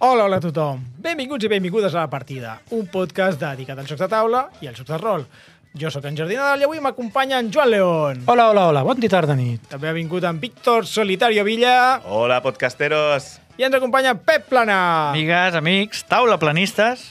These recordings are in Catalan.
Hola a tothom. Benvinguts i benvingudes a La Partida, un podcast dedicat als jocs de taula i als jocs de rol. Jo sóc en Jordi Nadal i avui m'acompanya en Joan León. Hola, bon dia, tarda, nit. També ha vingut en Víctor Solitario Villa. Hola, podcasteros. I ens acompanya Pep Plana. Amigues, amics, taula planistes.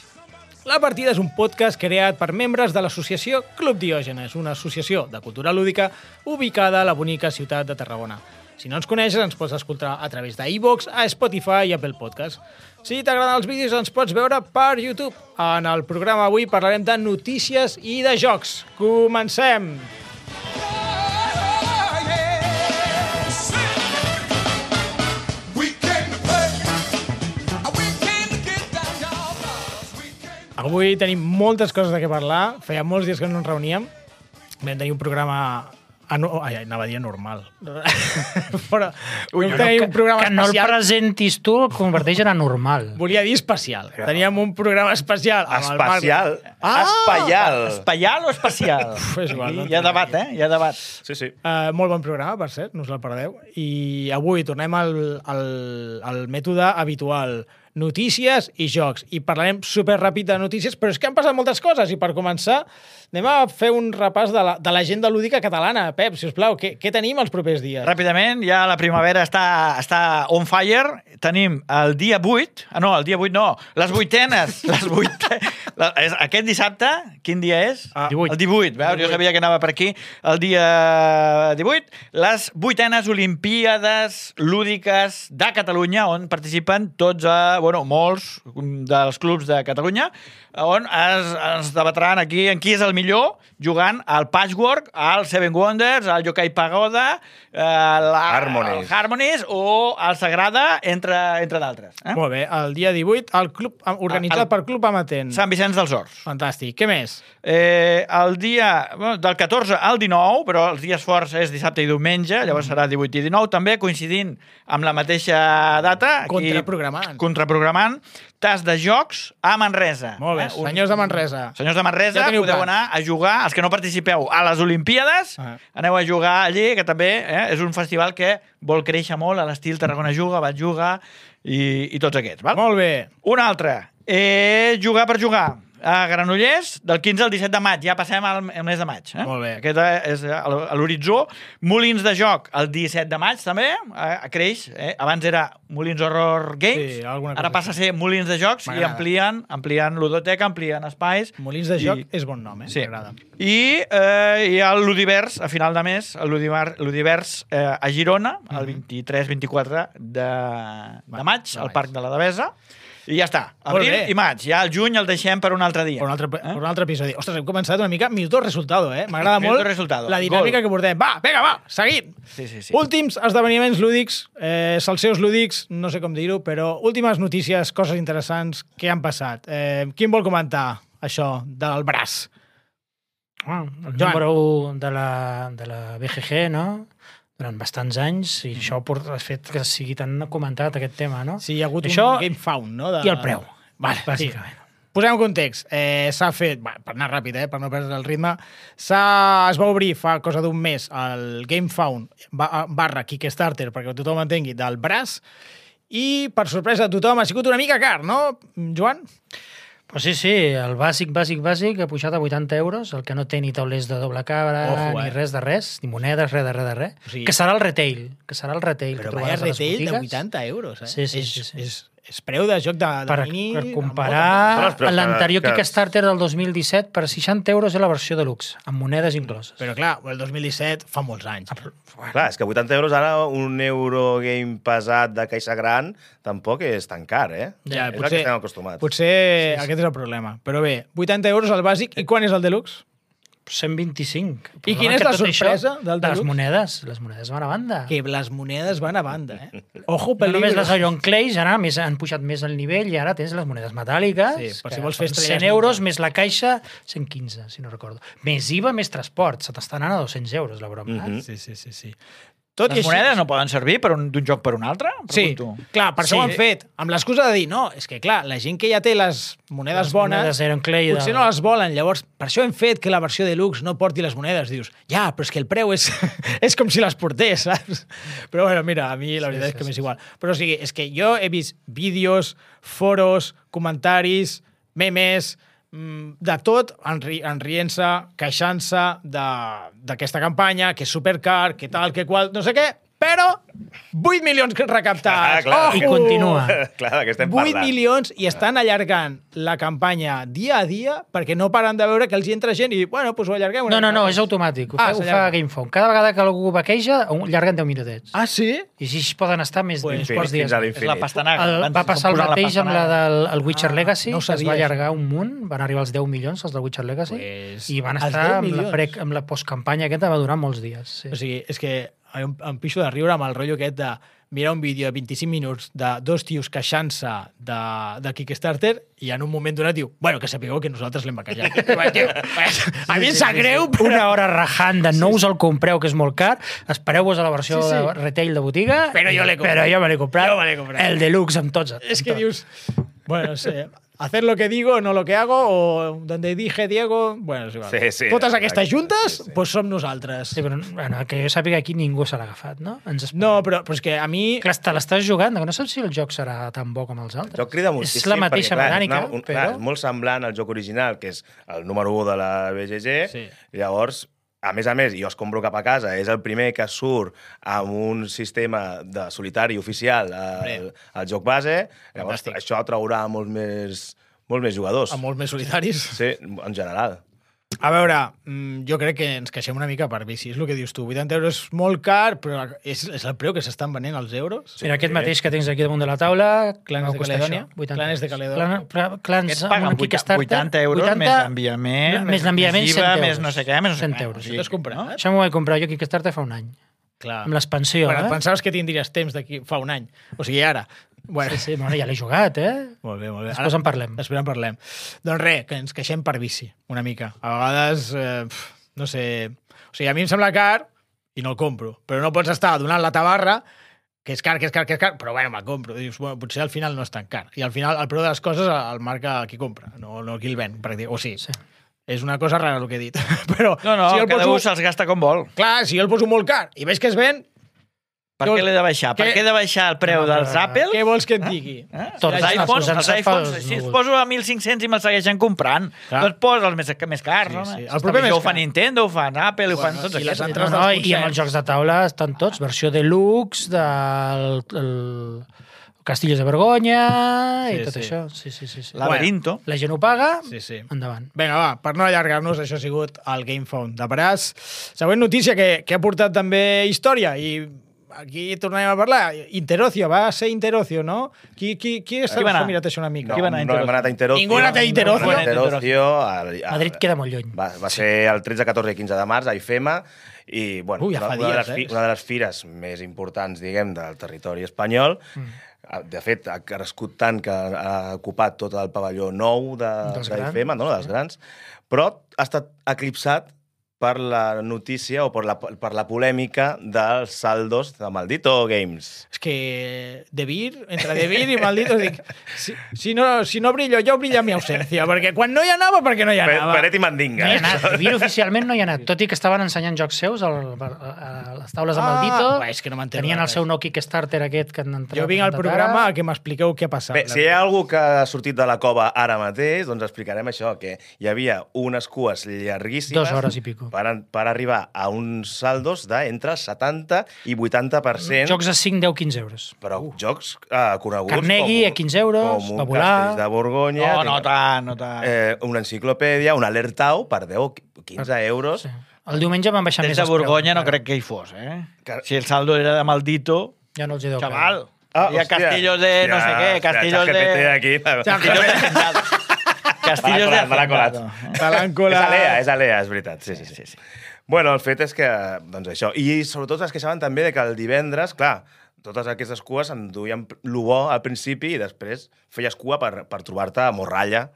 La Partida és un podcast creat per membres de l'associació Club Diògenes, una associació de cultura lúdica ubicada a la bonica ciutat de Tarragona. Si no ens coneixes, ens pots escoltar a través d'iVoox, a Spotify i Apple Podcast. Si t'agraden els vídeos, ens pots veure per YouTube. En el programa avui parlarem de notícies i de jocs. Comencem! Avui tenim moltes coses de què parlar. Feia molts dies que no ens reuníem. Vam tenir un programa... anava a dir normal. Però un programa que no el especial. presentis tu el converteix en anormal. Volia dir especial. Teníem un programa especial. amb el Marc. Especial. Ah! Espaial. Espaial o especial? És igual, no Hi ha debat, Hi ha debat. Sí. Molt bon programa, per cert, no us el perdeu. I avui tornem al mètode habitual. Notícies i jocs. I parlarem superràpid de notícies, però és que han passat moltes coses. I per començar, anem a fer un repàs de l'agenda lúdica catalana. Pep, si us plau, què tenim els propers dies? Ràpidament, ja la primavera està on fire. Tenim el dia 8... el dia 8 no, les vuitenes. Aquest dissabte, quin dia és? 18. El 18, veus? Jo sabia que anava per aquí. El dia 18, les vuitenes Olimpíades lúdiques de Catalunya, on participen tots molts dels clubs de Catalunya, on es debatran aquí en qui és el millor jugant al Patchwork, al Seven Wonders, al Yokai Pagoda, al Harmonies o al Sagrada, entre d'altres. Molt bé, el dia 18, el club organitzat per Club Amatent. Sant Vicenç dels Horts. Fantàstic. Què més? El dia del 14 al 19, però els dies forts és dissabte i diumenge, llavors serà 18 i 19, també coincidint amb la mateixa data. Contraprogramant. Tas de jocs a Manresa. Molt bé, senyors de Manresa. Senyors de Manresa, ja podeu anar a jugar, els que no participeu a les Olimpíades, aneu a jugar allí, que també és un festival que vol créixer molt a l'estil Tarragona Juga, Bat Juga i tots aquests. Val? Molt bé. Un altre, jugar per jugar. A Granollers, del 15 al 17 de maig. Ja passem al mes de maig. Molt bé. Aquest és l'horitzó. Molins de joc, el 17 de maig, també. Creix. Abans era Molins Horror Games. Sí, ara passa a ser Molins de jocs i amplien ludoteca, amplien espais. Molins de joc és bon nom, Sí. M'agrada. I hi ha el Ludivers, a final de mes, el Ludivers a Girona, el 23-24 de maig, al Parc de la Devesa. I ja està. Abril i maig. Ja el juny el deixem per un altre dia. Per un altre episodi. Ostres, hem començat una mica minuto resultado, M'agrada molt la dinàmica que portem. Va, seguim! Sí. Últims esdeveniments lúdics, salseus lúdics, no sé com dir-ho, però últimes notícies, coses interessants que han passat. Quin vol comentar això del braç? El número 1 de la BGG, no?, durant bastants anys, i això ha fet que sigui tan comentat aquest tema, no? Sí, hi ha hagut un Game Found, no? I el preu, bàsicament. Posem en context. S'ha fet, per anar ràpid, per no perdre el ritme, es va obrir fa cosa d'un mes el Game Found / Kickstarter, perquè tothom entengui, del braç, i per sorpresa de tothom ha sigut una mica car, no, Joan? Pues sí, el bàsic ha pujat a 80 euros, el que no té ni taulers de doble cabra, ni res de res, ni monedes, res de res. O sigui, que serà el retail. Però vaya retail de 80 euros, Sí. És preu de joc de mini... Per comparar l'anterior Kickstarter del 2017, per 60 euros és la versió deluxe, amb monedes incloses. Però clar, el 2017 fa molts anys. Clar, és que 80 euros ara, un Eurogame pesat de caixa gran, tampoc és tan car, Ja, és el que estem acostumats. Potser aquest és el problema. Però bé, 80 euros el bàsic, i quan és el deluxe? 125. I quina és la sorpresa del deluxe? Les monedes van a banda. Que les monedes van a banda, Ojo, No peligro. només les Iron Clays, ara han pujat més el nivell i ara tens les monedes metàl·liques, Sí, per si vols fer 100 euros, més la caixa, 115, si no recordo. Més IVA, més transport. Se t'està anant a 200 euros, la broma. Sí. Tot i Les així... monedes no poden servir d'un joc per un altre? Sí, Pregunto. clar, per això ho han fet. Amb l'excusa de dir, no, és que clar, la gent que ja té les monedes bones, monedes Iron Clay potser no les volen. Llavors, per això hem fet que la versió deluxe no porti les monedes. Dius, ja, però és que el preu és, és com si les portés, saps? Però bueno, mira, a mi la veritat és que m'és igual. Però o sigui, és que jo he vist vídeos, foros, comentaris, memes, de tot, enrient-se, queixant-se d'aquesta campanya, que és supercar, que tal, que qual, no sé què, però 8 milions recaptats. clar. I continua. Clar, que estem 8 parlant. milions i estan allargant la campanya dia a dia perquè no paren de veure que els hi entra gent i, bueno, doncs ho allarguem. No, és automàtic. Ho fa s'allarga. GameFound. Cada vegada que algú bequeja, llarguen 10 minutets. Ah, sí? I així poden estar més Pues uns Fins, quants dies. fins a És la l'infinit. pastanaga. Va passar el mateix amb la del Witcher Legacy, no ho que es sabia, va allargar un munt, van arribar als 10 milions, els del Witcher Legacy, Pues, i van els estar 10 amb milions. amb la postcampanya aquesta, va durar molts dies. Sí. O sigui, és que em pixo de riure amb el rotllo aquest de mirar un vídeo de 25 minuts de dos tios queixant-se de Kickstarter i en un moment donat diu, bueno, que sapigueu que nosaltres l'hem bequejat. A mi em sap greu, però... Una hora rajant de no us el compreu, que és molt car, espereu-vos a la versió Sí, sí. de retail de botiga, Però jo l'he comprat. Però jo me l'he comprat. Jo me l'he comprat. El deluxe amb tots. És que dius, bueno, no sé, hacer lo que digo, no lo que hago, o donde dije Diego, bueno, és igual. Sí, sí. Totes aquestes juntes, Sí, sí. pues som nosaltres. Sí, però bueno, que jo sàpiga aquí ningú se l'ha agafat, no? No, però és que a mi... Clar, te l'estàs jugant, que no saps si el joc serà tan bo com els altres. El joc crida moltíssim. És la mateixa perquè, clar, mecànica, clar, però... és molt semblant al joc original, que és el número 1 de la BGG. Sí. Llavors, a més, jo es compro cap a casa. És el primer que surt amb un sistema de solitari oficial al joc base. Llavors, Fantàstic. això atraurà molts més jugadors. A molts més solitaris. Sí, en general. A veure, jo crec que ens queixem una mica per bici, és el que dius tu. 80 euros és molt car, però és el preu que s'estan venent els euros. Mira, aquest mateix que tens aquí damunt de la taula... Clanes va de costar Caledònia. això, 80 Clanes de Caledònia. Clans Aquests amb paguen un Kickstarter, 80 euros més l'enviament, més l'enviament, 100 IVA, euros. més no sé què, més no sé 100 què. euros. O sigui, Això t'has comprat? no? Això m'ho vaig comprar jo a Kickstarter fa un any. Clar. Amb l'expansió, Bueno, eh? pensaves que tindries temps d'aquí fa un any. O sigui, ara. Bueno, Sí, bueno, ja l'he jugat, eh? molt bé, molt bé. Després en parlem. Després en parlem. Doncs res, que ens queixem per bici, una mica. A vegades, no sé... O sigui, a mi em sembla car i no el compro. Però no pots estar donant la tabarra que és car, però bueno, me'l compro. Dius, bueno, potser al final no és tan car. I al final el preu de les coses el marca qui compra, no qui el ven. O sigui, Sí. és una cosa rara el que he dit. Però No, si el cada poso, un se'ls gasta com vol. clar, si jo el poso molt car i veig que es ven, Per què l'he de baixar? Per Què? què he de baixar el preu dels Apple? què vols que et digui? Tots Els iPhones, els els iPhones, pels si els núvols. poso a 1.500 i me'ls segueixen comprant, Clar. doncs posa els més cars, Sí, home. sí. El proper Això més ho fa car. Nintendo, ho fan Apple, ho fan tots i les aquests. altres No, dels i amb els jocs de taula estan tots. Versió deluxe, del Castillos de Vergonya i Sí, tot sí. això. Sí. Laberinto. La gent ho paga, Sí, sí. endavant. Vinga, va, per no allargar-nos, això ha sigut el GameFound de Paràs. Següent notícia que ha portat també història i aquí tornem a parlar. Interocio, va ser Interocio, no? Qui s'ha va anar? mirat això una mica? Qui va anar a no hem anat a Interocio. Ningú ha anat a Interocio? No hem anat a Interocio. Madrid queda molt lluny. Va ser el 13, 14 i 15 de març a IFEMA i, bueno, Ui, ja fa una, dies, una de les fires més importants, diguem, del territori espanyol. De fet, ha crescut tant que ha ocupat tot el pavelló nou d'IFEMA, no? Dels grans, però ha estat eclipsat per la notícia o per la polèmica dels saldos de Maldito Games. És que entre Devir i Maldito, dic, si no brillo jo, brilla mi ausència, perquè quan no hi anava, perquè no hi anava. Peret i mandinga. No hi ha anat. Vir oficialment no hi ha anat. Tot i que estaven ensenyant jocs seus a les taules de Maldito. És que no m'entero Tenien el res. seu nou Kickstarter aquest que han entrat. Jo vinc al programa a que m'expliqueu què ha passat. Bé, si hi ha algú que ha sortit de la cova ara mateix, doncs explicarem això, que hi havia unes cues llarguíssimes 2 hores i pico. per arribar a uns saldos d'entre 70 i 80%. Jocs a 5, 10, 15 euros. Però jocs coneguts Carnegie a 15 euros, com un Babulà. Castells de Borgonya, No tant, no tant. una enciclopèdia, un alertau per 10 o 15 euros. Sí. El diumenge van baixar Des més de els preus. Borgonya no Ara, crec que hi fos, eh? Si el saldo era de Maldito, Ja no els hi deu chaval. Ah, Hi ha hòstia. castillos de no sé què, castillos de... Aquí. Castillos de Hacendado. Castillos de Me l'ha colat. Hacendado. És Alea, és veritat. Sí. Bueno, el fet és que, doncs això, i sobretot es queixaven també de que el divendres, clar, totes aquestes cues enduien lo bo al principi i després feies cua per trobar-te morralla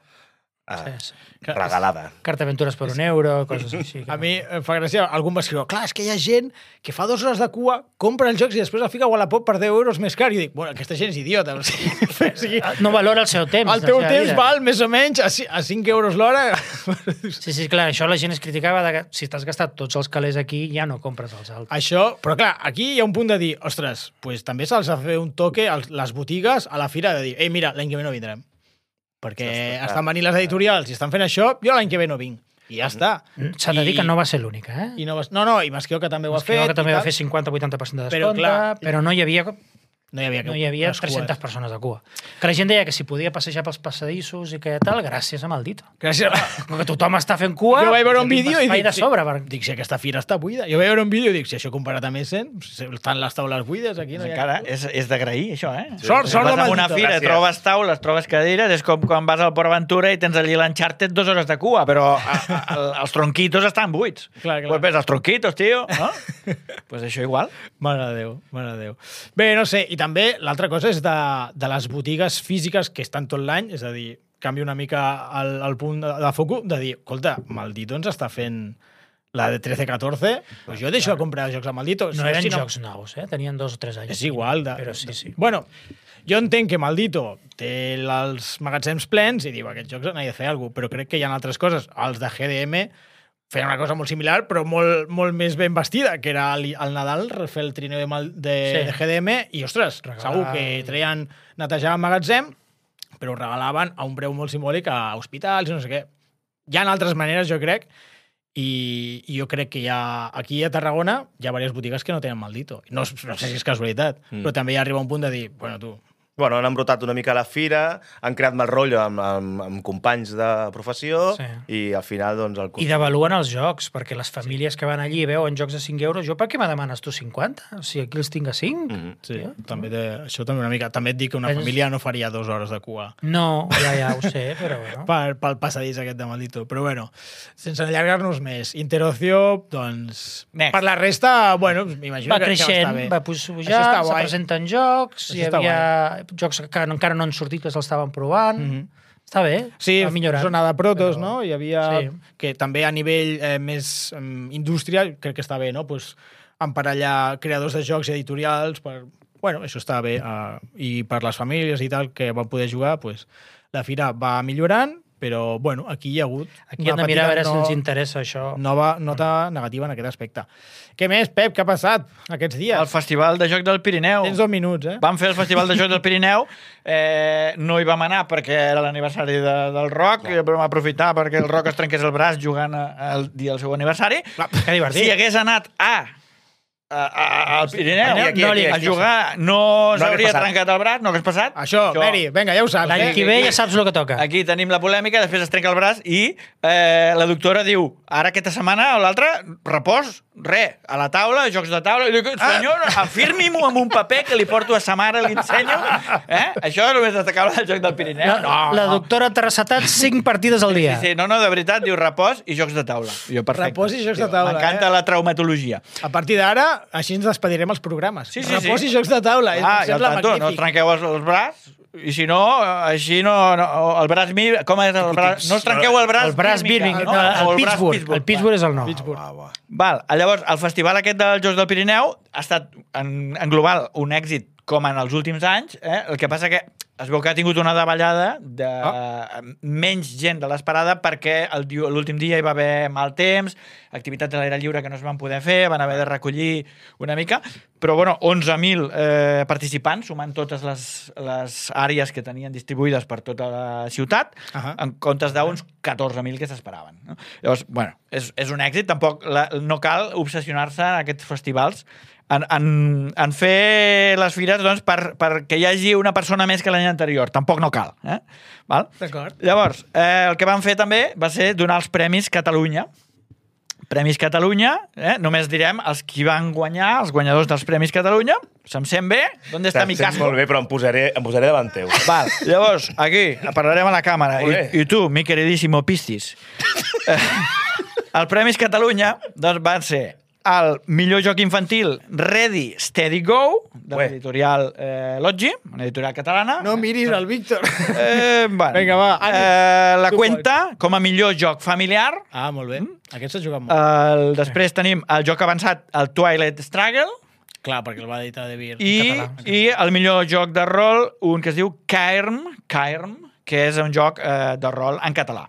regalada. Carta Aventures per €1, coses així. A mi em fa gràcia, algú em va escriure, clar, és que hi ha gent que fa 2 hores de cua, compra els jocs i després el fica a Wallapop per €10 més car. I dic, bueno, aquesta gent és idiota. O sigui, No valora el seu temps. el teu temps val més o menys a 5 euros l'hora. Sí, clar, això la gent es criticava de que si t'has gastat tots els calés aquí ja no compres els altres. Això, però clar, aquí hi ha un punt de dir, ostres, pues, també se'ls ha de fer un toque a les botigues a la fira de dir, ei, mira, l'any que ve no vindrem. Perquè estan venint les editorials i estan fent això, jo l'any que ve no vinc. I ja està. S'ha de dir que no va ser l'única, eh? I i Masqueo que també ho ha fet. Masqueo que també va fer 50-80% de descompte, però no hi havia... No hi havia 300 persones de cua. Que la gent deia que si podia passejar pels passadissos i que tal, gràcies a Maldito. Gràcies. Com que tothom està fent cua... Jo vaig veure un vídeo i dic... de sobre, Dic, si aquesta fira està buida. Jo vaig veure un vídeo i dic, si això comparat amb Essen, estan les taules buides, aquí no hi ha... Encara és d'agrair, això, eh? Sort de Vas a una Maldito. fira, trobes taules, trobes cadires, és com quan vas al Port Aventura i tens allí l'Uncharted 2 hores de cua, però els tronquitos estan buits. Clar. Pues ves els tronquitos, tio, no? Pues això igual. Mare de Déu. Bé, no sé, i també l'altra cosa és de les botigues físiques que estan tot l'any, és a dir, canvia una mica el punt de foco, de dir, escolta, Maldito ens està fent la de 13-14, pues jo deixo de comprar jocs a Maldito. No eren jocs nous, eh? Tenien 2 o 3 anys. És igual. Però sí. Bueno, jo entenc que Maldito té els magatzems plens i diu, aquests jocs n'he de fer alguna cosa, però crec que hi ha altres coses. Els de GDM feien una cosa molt similar, però molt més ben vestida, que era al Nadal refer el trineu de GDM i, ostres, segur que treien, netejaven magatzem, però ho regalaven a un preu molt simbòlic a hospitals i no sé què. Hi ha altres maneres, jo crec, i jo crec que aquí a Tarragona hi ha diverses botigues que no tenen Maldito. No sé si és casualitat, però també hi arriba un punt de dir, bueno, tu... Bueno, han embrutat una mica la fira, han creat mal rotllo amb companys de professió i al final, doncs... I devaluen els jocs, perquè les famílies que van allí i veuen jocs de 5 euros, jo per què me demanes tu 50? O sigui, aquí els tinc a 5? Sí, això també una mica. També et dic que una família no faria 2 hores de cua. No, ja ho sé, però bueno. Pel passadís aquest de Maldito. Però bueno, sense allargar-nos més. Interocio, doncs... Next. Per la resta, bueno, m'imagino que creixent, està bé. va pujar, se presenten jocs, hi havia jocs que encara no han sortit, que s'estaven provant. Està bé, sí, va millorant. Zona de protos, no? Hi havia... Que també a nivell més indústria, crec que està bé, no? Pues, emparellar creadors de jocs i editorials per... Bueno, això està bé. I per les famílies i tal que van poder jugar, pues, la fira va millorant, però, bueno, aquí hi ha hagut... Aquí hem de mirar a veure si ens interessa això. Nota negativa en aquest aspecte. Què més, Pep? Què ha passat aquests dies? El Festival de Joc del Pirineu. Tens 2 minuts, eh? Vam fer el Festival de Joc del Pirineu. No hi vam anar perquè era l'aniversari del Roc, i vam aprofitar perquè el Roc es trenqués el braç jugant el dia del seu aniversari. Que divertit. Si hagués anat al Pirineu aquí, a jugar, no s'hauria trencat el braç, no hagués passat. Això, Meri, vinga, ja ho saps. L'any que ve ja saps el que toca. Aquí tenim la polèmica, després es trenca el braç i la doctora diu, ara aquesta setmana o l'altra, repòs, a la taula, jocs de taula. I dic, senyor, afirmi-m'ho amb un paper que li porto a sa mare, li ensenyo. Això és el més destacable del Joc del Pirineu. La doctora t'ha recetat 5 partides al dia. Sí, no, de veritat, diu repòs i jocs de taula. Jo, perfecte. Repòs i jocs de taula. M'encanta la traumatologia. A partir d'ara, així ens despedirem els programes. Sí. Repòs i jocs de taula. I al tanto, no trenqueu els braç, i si no, així no el braç com és el braç? No us trenqueu el braç. El braç Birmingham, el Pittsburgh. El Pittsburgh és el nou. Val, llavors, el festival aquest dels Jocs del Pirineu ha estat en global un èxit com en els últims anys, el que passa que es veu que ha tingut una davallada de menys gent de l'esperada perquè l'últim dia hi va haver mal temps, activitats a l'aire lliure que no es van poder fer, van haver de recollir una mica, però bueno, 11.000 participants, sumant totes les àrees que tenien distribuïdes per tota la ciutat, en comptes d'uns 14.000 que s'esperaven. No? Llavors, bueno, és un èxit, tampoc no cal obsessionar-se en aquests festivals en fer les fires doncs, perquè hi hagi una persona més que l'any anterior. Tampoc no cal. Val? D'acord. Llavors, el que vam fer també va ser donar els Premis Catalunya. Premis Catalunya, només direm els qui van guanyar, els guanyadors dels Premis Catalunya. Se'm sent bé? ¿Dónde està mi casco? Molt bé, però em posaré davant teu. Val, llavors, aquí, parlarem a la càmera. I tu, mi queridíssimo Pistis. El Premis Catalunya doncs, van ser el millor joc infantil Ready, Steady, Go, de Ué. l'editorial Loggi, una editorial catalana. No miris el Víctor. Bueno. Vinga, va. La Tu Cuenta, com a millor joc familiar. Ah, molt bé. Aquest s'ha jugat molt. Després tenim el joc avançat, el Twilight Struggle, Clar, perquè el va editar De Beer. i el millor joc de rol, un que es diu Cairn, que és un joc de rol en català.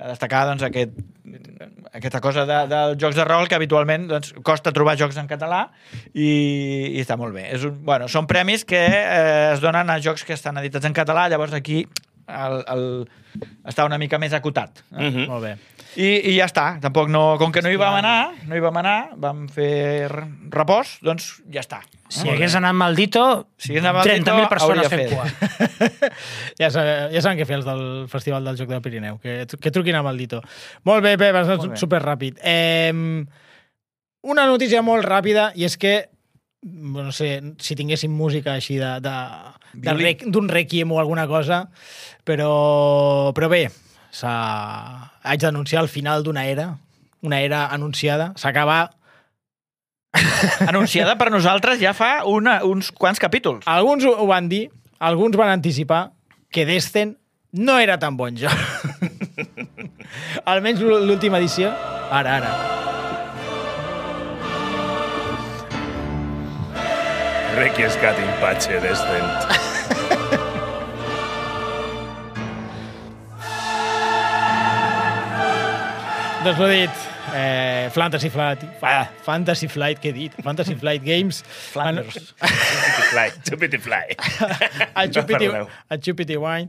A destacar doncs, aquesta cosa dels jocs de rol que habitualment doncs, costa trobar jocs en català i està molt bé. Són premis que es donen a jocs que estan editats en català, llavors aquí està una mica més acotat. Molt bé. I ja està. Tampoc com que no hi vam anar, vam fer repòs, doncs ja està. Si hagués anat Maldito, Si hagués anat Maldito, 30.000 persones hauria fent cua. Ja saben què fer els del Festival del Joc del Pirineu, que truquin a Maldito. Molt bé, Pep, has anat superràpid. Una notícia molt ràpida, i és que, no sé, si tinguéssim música així d'un requiem o alguna cosa, però bé, haig d'anunciar el final d'una era, una era anunciada, s'acaba. Anunciada per nosaltres ja fa uns quants capítols. Alguns ho van dir, alguns van anticipar que Descent no era tan bon joc. Almenys l'última edició. Ara. Requiescat in pace Descent. Doncs ho he dit. Fantasy Flight, què he dit? Fantasy Flight Games. Flanders. Chupity Fly. A Chupity Wine.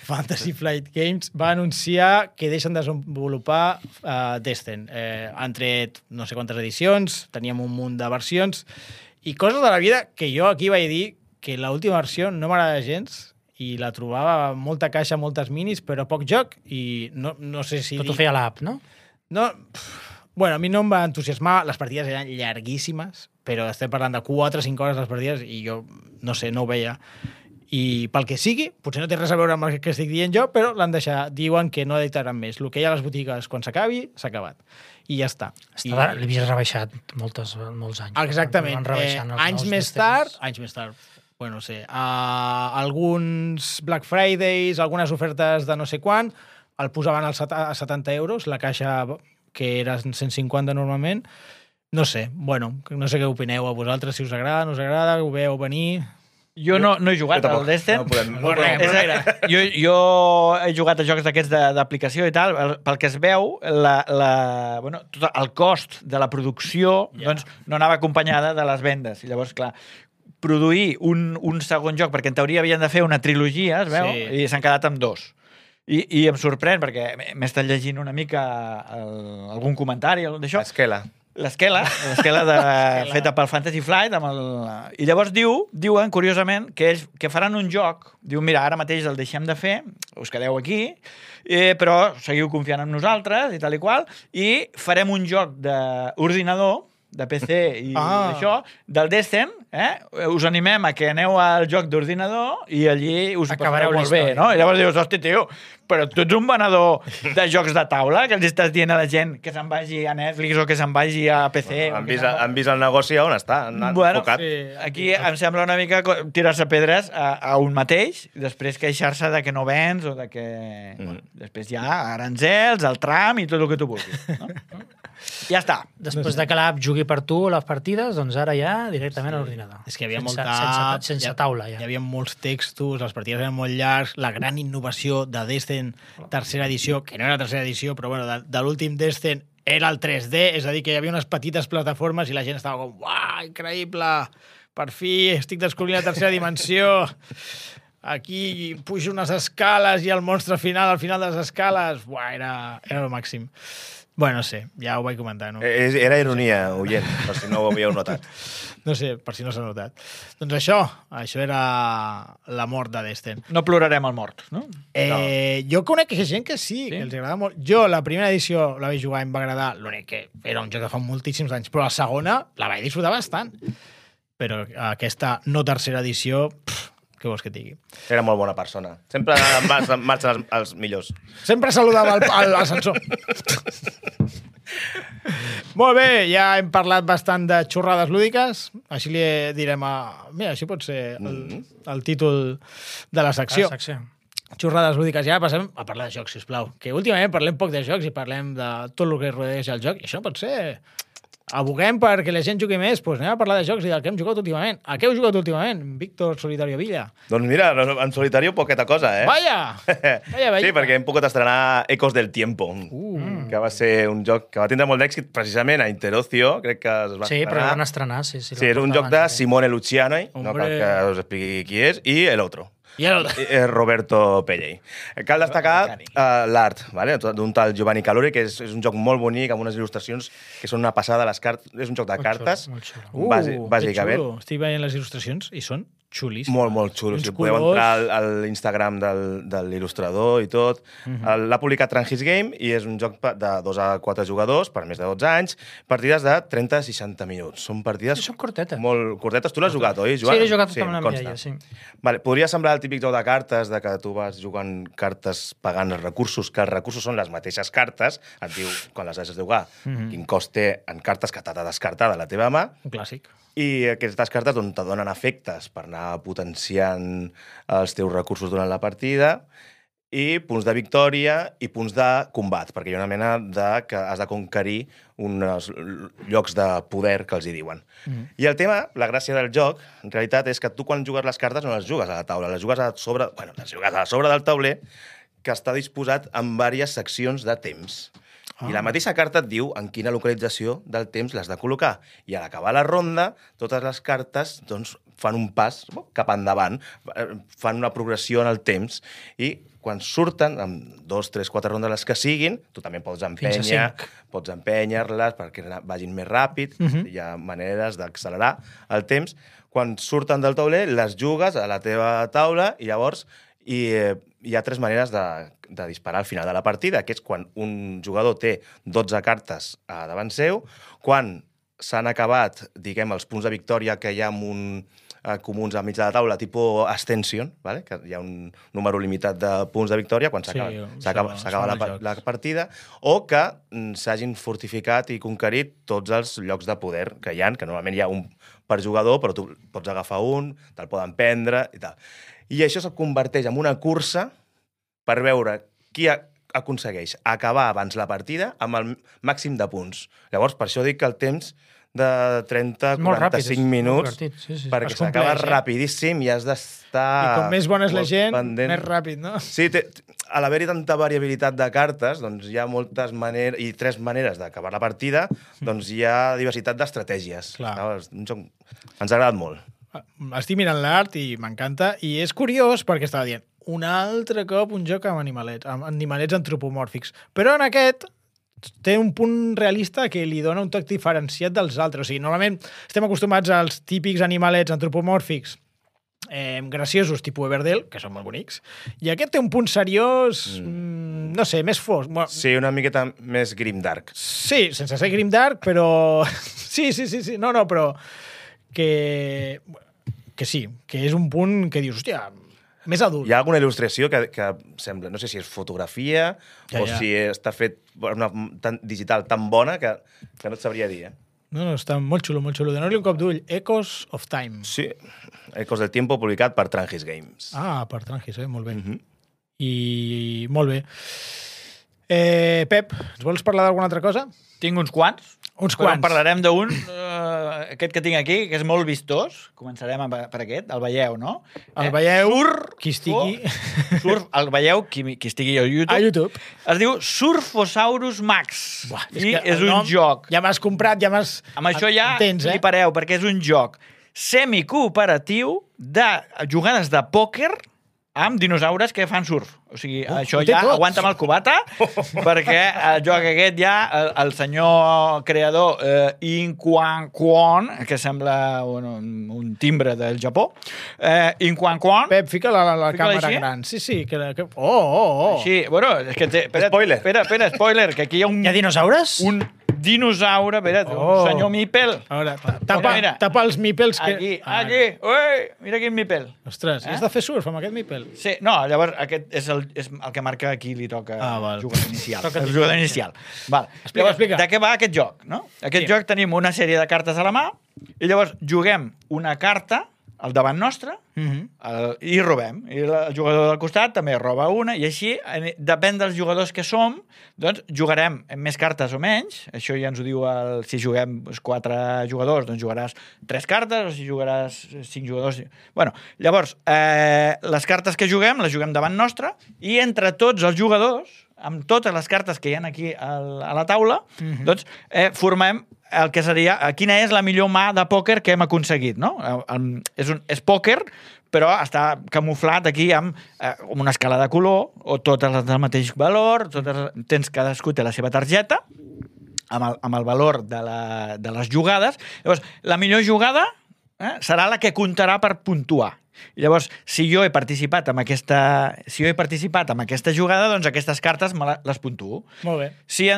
Fantasy Flight Games va anunciar que deixen de desenvolupar Descent. Han tret no sé quantes edicions, teníem un munt de versions, i coses de la vida que jo aquí vaig dir que l'última versió no m'agrada gens, i la trobava molta caixa, moltes minis, però poc joc, i no sé si... Tot ho feia l'app, no? No, bueno, a mi no em va entusiasmar, les partides eren llarguíssimes, però estem parlant de 4 o 5 hores les partides i jo, no sé, no ho veia. I pel que sigui, potser no té res a veure amb el que estic dient jo, però l'han deixat, diuen que no editaran més. El que hi ha a les botigues quan s'acabi, s'ha acabat. I ja està. L'havies rebaixat molts anys. Exactament. Anys més tard, bueno, no sé, alguns Black Fridays, algunes ofertes de no sé quan, el posaven a 70 euros, la caixa que era 150 normalment. No sé, bueno, no sé què opineu a vosaltres, si us agrada, no us agrada, ho veieu venir... Jo no he jugat al Descent. Jo he jugat a jocs d'aquests d'aplicació i tal. Pel que es veu, tot el cost de la producció doncs, no anava acompanyada de les vendes. I llavors, clar, produir un segon joc, perquè en teoria havien de fer una trilogia, es veu, i s'han quedat amb 2. I em sorprèn, perquè m'he estat llegint una mica algun comentari d'això. L'esquela feta pel Fantasy Flight i llavors diuen curiosament que ells que faran un joc, diuen mira, ara mateix el deixem de fer, us quedeu aquí, però seguiu confiant en nosaltres i tal i qual, i farem un joc d'ordinador de PC i això, del Descent, us animem a que aneu al joc d'ordinador i allí us ho passareu molt bé, no? I llavors dius, hosti, tio, però tu ets un venedor de jocs de taula que els estàs dient a la gent que se'n vagi a Netflix o que se'n vagi a PC. Han vist el negoci on està, han enfocat. Aquí em sembla una mica tirar-se pedres a un mateix i després queixar-se de que no vens o de que... Després hi ha aranzels, el tram i tot el que tu vulguis. Ja està. Després de que l'app jugui per tu les partides, doncs ara ja directament a l'ordinador. És que hi havia molta... Sense taula, ja. Hi havia molts textos, les partides eren molt llargs, la gran innovació de Descent tercera edició, que no era tercera edició, però bueno, de l'últim Descent era el 3D, és a dir, que hi havia unes petites plataformes i la gent estava com, uah, increïble, per fi estic descobrint la tercera dimensió, aquí pujo unes escales i el monstre final, al final de les escales, uah, era el màxim. Bueno, no sé, ja ho vaig comentar, no? Era ironia, oient, per si no ho havíeu notat. No sé, per si no s'ha notat. Doncs això era la mort de Descent. No plorarem el mort, no? Jo conec gent que sí, que els agrada molt. Jo, la primera edició la vaig jugar i em va agradar, l'únic que era un joc que fa moltíssims anys, però la segona la vaig disfrutar bastant. Però aquesta no tercera edició, Què vols que et digui? Era molt bona persona. Sempre marxen els millors. Sempre saludava l'ascensor. Molt bé, ja hem parlat bastant de xorrades lúdiques. Així li direm Mira, així pot ser el títol de la secció. Xorrades lúdiques. Ja passem a parlar de jocs, sisplau. Que últimament parlem poc de jocs i parlem de tot el que rodeja el joc. I això pot ser... Aboguem perquè la gent jugui més, doncs anem a parlar de jocs i del que hem jugat últimament. A què heu jugat últimament, Víctor Solitario Villa? Doncs mira, en Solitario poqueta cosa, Vaya! Sí, perquè hem pogut estrenar Ecos del Tiempo, que va ser un joc que va tindre molt d'èxit precisament a Interocio, crec que es va estrenar. Sí, però el van estrenar, sí. Sí, és un joc de Simone Luciani, no cal que us expliqui qui és, i el otro. Roberto Pelley. Cal destacar l'art, ¿vale? D'un tal Giovanni Calori, que és un joc molt bonic, amb unes il·lustracions que són una passada. És un joc de cartes, bàsicament. Estic veient les il·lustracions i són xulíssimes. Molt xulo. Si podeu entrar a l'Instagram de l'il·lustrador i tot. L'ha publicat Trangis Game i és un joc de 2 a 4 jugadors per més de 12 anys, partides de 30 a 60 minuts. Són partides... Són cortetes. Molt cortetes. Tu l'has jugat, oi, Joan? Sí, l'he jugat amb la Mireia, sí. Vale, podria semblar el típic joc de cartes, de que tu vas jugant cartes pagant els recursos, que els recursos són les mateixes cartes, et diu, quan les has de jugar, quin cost té en cartes que t'ha de descartar de la teva mà. Un clàssic. I aquestes cartes te donen efectes per anar potenciant els teus recursos durant la partida i punts de victòria i punts de combat, perquè hi ha una mena que has de conquerir uns llocs de poder que els hi diuen. I el tema, la gràcia del joc, en realitat, és que tu quan jugues les cartes no les jugues a la taula, les jugues a sobre del tauler, que està disposat en diverses seccions de temps. I la mateixa carta et diu en quina localització del temps l'has de col·locar. I a l'acabar la ronda, totes les cartes doncs, fan un pas cap endavant, fan una progressió en el temps, i quan surten, amb 2, 3, 4 rondes les que siguin, tu també pots empènyer-les perquè vagin més ràpid, hi ha maneres d'accelerar el temps. Quan surten del tauler, les jugues a la teva taula i llavors hi ha 3 maneres de disparar al final de la partida, que és quan un jugador té 12 cartes davant seu, quan s'han acabat, diguem, els punts de victòria que hi ha comuns a mig de la taula, tipus Ascension, ¿vale? Que hi ha un número limitat de punts de victòria quan s'acaba la partida, o que s'hagin fortificat i conquerit tots els llocs de poder que hi ha, que normalment hi ha un per jugador, però tu pots agafar un, te'l poden prendre i tal. I això es converteix en una cursa per veure qui aconsegueix acabar abans la partida amb el màxim de punts. Llavors, per això dic que el temps de 30-45 minuts, perquè s'acaba rapidíssim i has d'estar... I com més bona és la gent, més ràpid, no? Sí, a l'haver-hi tanta variabilitat de cartes, doncs hi ha moltes maneres, i 3 maneres d'acabar la partida, doncs hi ha diversitat d'estratègies. Un joc ens ha agradat molt. Estic mirant l'art i m'encanta, i és curiós perquè estava dient un altre cop un joc amb animalets antropomòrfics, però en aquest té un punt realista que li dona un toc diferenciat dels altres. O sigui, normalment estem acostumats als típics animalets antropomòrfics graciosos, tipus Everdell, que són molt bonics, i aquest té un punt seriós, no sé, més fosc. Sí, una miqueta més grimdark. Sí, sense ser grimdark, però... Sí, no, però... que sí, que és un punt que dius, hòstia, més adult. Hi ha alguna il·lustració que sembla, no sé si és fotografia o si està fet una digital tan bona que no et sabria dir, No, està molt xulo, molt xulo. Donar-li un cop d'ull. Echoes of Time. Sí, Ecos del Tiempo, publicat per Trangis Games. Per Trangis, molt bé. I molt bé. Pep, ens vols parlar d'alguna altra cosa? Tinc uns quants. Però parlarem d'un, aquest que tinc aquí, que és molt vistós. Començarem per aquest, el veieu, no? El veieu, qui estigui... El veieu, qui estigui a YouTube. A YouTube. Es diu Surfosaurus Max. I és un joc. Ja m'has comprat, ja m'has... Amb això ja flipareu, perquè és un joc semicooperatiu de jugades de pòquer amb dinosaures que fan surf. O sigui, això ja aguanta'm el cubata, perquè el joc aquest ja, el senyor creador In Quan Kwon, que sembla un timbre del Japó, In Quan Kwon... Pep, fica la càmera gran. Sí. Així, és que té... Spoiler. Espera, spoiler, que aquí hi ha un... Hi ha dinosaures? Un dinosaure, senyor Mipel. A veure, tapa els Mipels. Aquí. Ui, mira quin Mipel. Ostres, has de fer surf amb aquest Mipel? Sí, no, llavors aquest és el que marca a qui li toca jugador inicial. El jugador inicial. Val. Explica. De què va aquest joc? No? Aquest joc tenim una sèrie de cartes a la mà i llavors juguem una carta al davant nostre i robem. I el jugador del costat també roba una i així, depèn dels jugadors que som, doncs jugarem amb més cartes o menys. Això ja ens ho diu si juguem 4 jugadors, doncs jugaràs 3 cartes, o si jugaràs 5 jugadors... Bueno, llavors, les cartes que juguem, les juguem davant nostre i entre tots els jugadors, amb totes les cartes que hi ha aquí a la taula, doncs formem el que seria quina és la millor mà de pòquer que hem aconseguit, no? És pòquer, però està camuflat aquí amb una escala de color o totes del mateix valor, cadascú té la seva targeta amb el valor de les jugades. Llavors, la millor jugada serà la que comptarà per puntuar. I llavors, si jo he participat en aquesta jugada, doncs aquestes cartes les puntuo. Molt bé. Si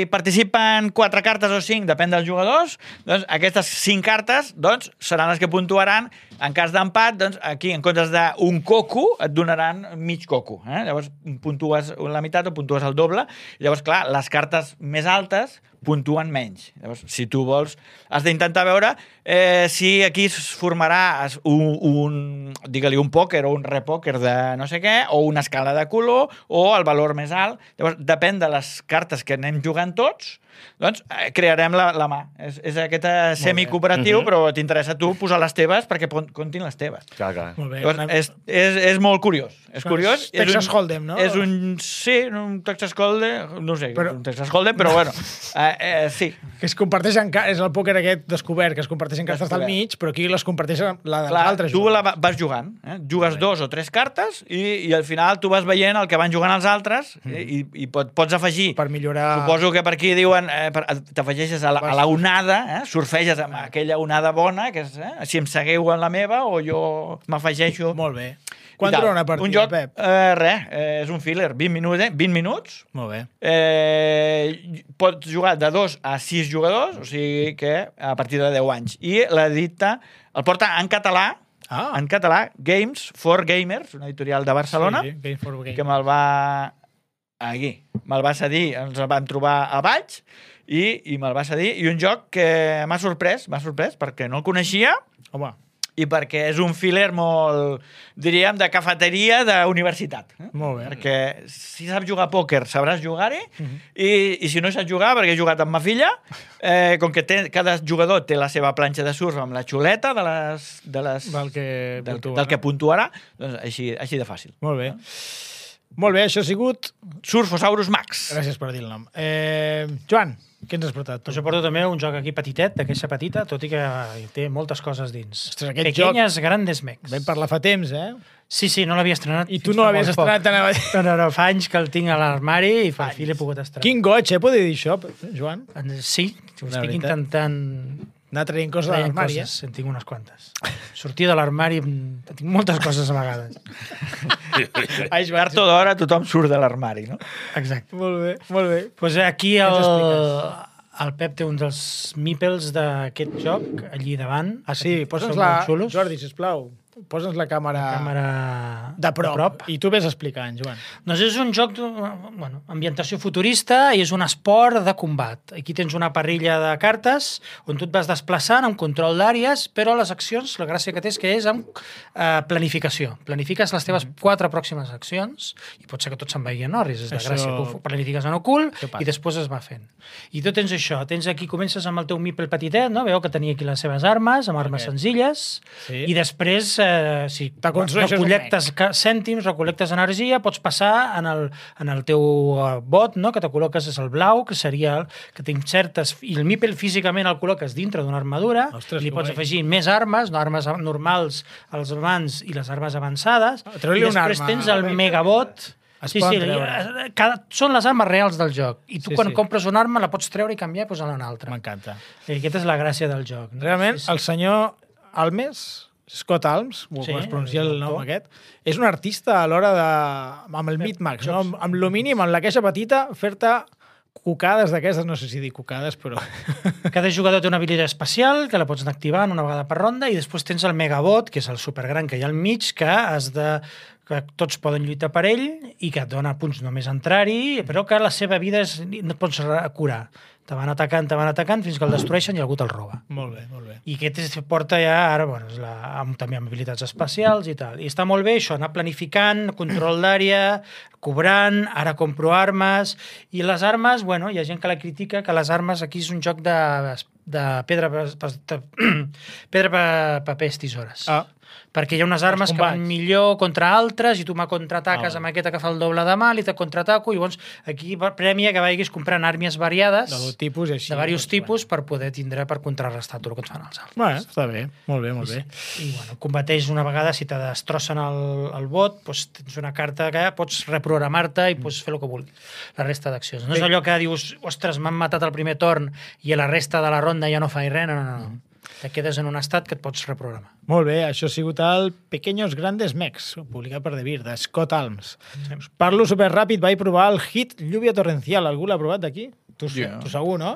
participen 4 cartes o 5, depèn dels jugadors, doncs aquestes 5 cartes seran les que puntuaran. En cas d'empat, doncs aquí, en comptes d'un coco, et donaran mig coco. Llavors, puntues la meitat o puntues el doble. Llavors, clar, les cartes més altes puntuen menys. Llavors, si tu vols, has d'intentar veure si aquí es formarà digue-li un pòquer o un repòquer de no sé què, o una escala de color, o el valor més alt. Llavors, depèn de les cartes que anem jugant tots, doncs crearem la mà. És aquest semicooperatiu, però t'interessa a tu posar les teves perquè comptin les teves. Clar. Molt bé. Llavors, és molt curiós. És curiós. Texas Hold'em, no? Sí, un Texas Hold'em, no sé, un Texas Hold'em, però bueno, sí. Que es comparteixen, és el pòquer aquest descobert, que es comparteixen cartes del mig, però aquí les comparteixen la de l'altre jugador. Tu vas jugant, jugues 2 o 3 cartes i al final tu vas veient el que van jugant els altres i pots afegir. Per millorar... Suposo que per aquí diuen t'afegeixes a la onada, surfeges amb aquella onada bona, que és, si em segueu en la meva o jo m'afegeixo. Molt bé. Quan dura una partida, un joc, Pep? És un filler, 20 minuts. Molt bé. Pots jugar de 2 a 6 jugadors, o sigui que a partir de 10 anys. I l'edita, el porta en català, Games for Gamers, una editorial de Barcelona, sí, Games for Gamers, que me'l va cedir, ens el vam trobar a Valls, i me'l va cedir, i un joc que m'ha sorprès, perquè no el coneixia, home, i perquè és un filler molt, diríem, de cafeteria d'universitat. Molt bé. Perquè si saps jugar a pòquer, sabràs jugar-hi, i si no saps jugar, perquè he jugat amb ma filla, com que cada jugador té la seva planxa de surf amb la xuleta del que puntuarà, doncs així de fàcil. Molt bé. Molt bé, això ha sigut... Surfosaurus Max. Gràcies per dir el nom. Joan, què ens has portat? Doncs jo porto també un joc aquí petitet, de caixa petita, tot i que té moltes coses dins. Ostres, aquest Pequeñas joc... grandes mecs. Vam parlar fa temps, Sí, no l'havia estrenat. I tu no l'havies estrenat tan abans. No, fa anys que el tinc a l'armari i per fi l'he pogut estrenar. Quin goig, poder dir això, Joan? Sí, ho estic intentant... Anar traient coses de l'armari, En tinc unes quantes. Sortir de l'armari, tinc moltes coses a vegades. Tard o d'hora tothom surt de l'armari, no? Exacte. Molt bé, molt bé. Pues aquí el Pep té un dels mípels d'aquest joc, allí davant. Ah, sí, posa'ns-la, Jordi, sisplau. Posa'ns la càmera de prop. I tu vés explicant, Joan. Doncs és un joc ambientació futurista i és un esport de combat. Aquí tens una parrilla de cartes on tu et vas desplaçant amb control d'àrees, però les accions, la gràcia que té és que és amb planificació. Planifiques les teves 4 pròximes accions i pot ser que tot se'n vagi en orris, és de gràcia. Tu planifiques en ocult i després es va fent. I tu tens això, aquí comences amb el teu mípel petitet, no? Veu que tenia aquí les seves armes, amb armes senzilles, i després si recol·lectes cèntims, recol·lectes energia, pots passar en el teu bot, no? Que te col·loques és el blau, que seria que tens certes... I el mípel físicament el col·loques dintre d'una armadura. Ostres, li pots afegir més armes, armes normals als mans i les armes avançades. I després tens el megabot... Són les armes reals del joc. I tu quan compres una arma la pots treure i canviar i posar-la una altra. M'encanta. I aquesta és la gràcia del joc. Realment, el senyor Almes... Scott Alms, com es pronuncia el nom aquest, és un artista a l'hora de... amb el Mid Max, no? Amb lo mínim, amb la caixa petita, fer-te cucades d'aquestes, no sé si dir cucades, però... Cada jugador té una habilitat especial que la pots anar activant una vegada per ronda i després tens el Megabot, que és el supergran que hi ha al mig, que que tots poden lluitar per ell i que et dona punts només entrar-hi, però que la seva vida no et pots curar. Te van atacant fins que el destrueixen i algú te'l roba. Molt bé, molt bé. I aquest porta ja, ara, també amb habilitats especials i tal. I està molt bé això, anar planificant, control d'àrea, cobrant, ara compro armes, i les armes, hi ha gent que la critica, que les armes aquí és un joc de pedra, paper, tisores. Perquè hi ha unes armes que van millor contra altres i tu me contraataques amb aquesta que fa el doble de mal i te contraataco, i llavors aquí premia que vagis comprant armes variades de tipus i així, de diversos tipus per poder tindre per contrarrestar tot el que et fan els altres. Bueno, està bé, molt bé, molt bé. I combateix una vegada, si te destrossen el bot, tens una carta que pots reprogramar-te i pots fer el que vulguis, la resta d'accions. No és allò que dius, ostres, m'han matat el primer torn i a la resta de la ronda ja no faig res, no. Te quedes en un estat que et pots reprogramar. Molt bé, això ha sigut el Pequeños Grandes Mechs, publicat per Devir, de Scott Alms. Parlo superràpid, vaig provar el hit Lluvia Torrencial. Algú l'ha provat d'aquí? Tu segur, no?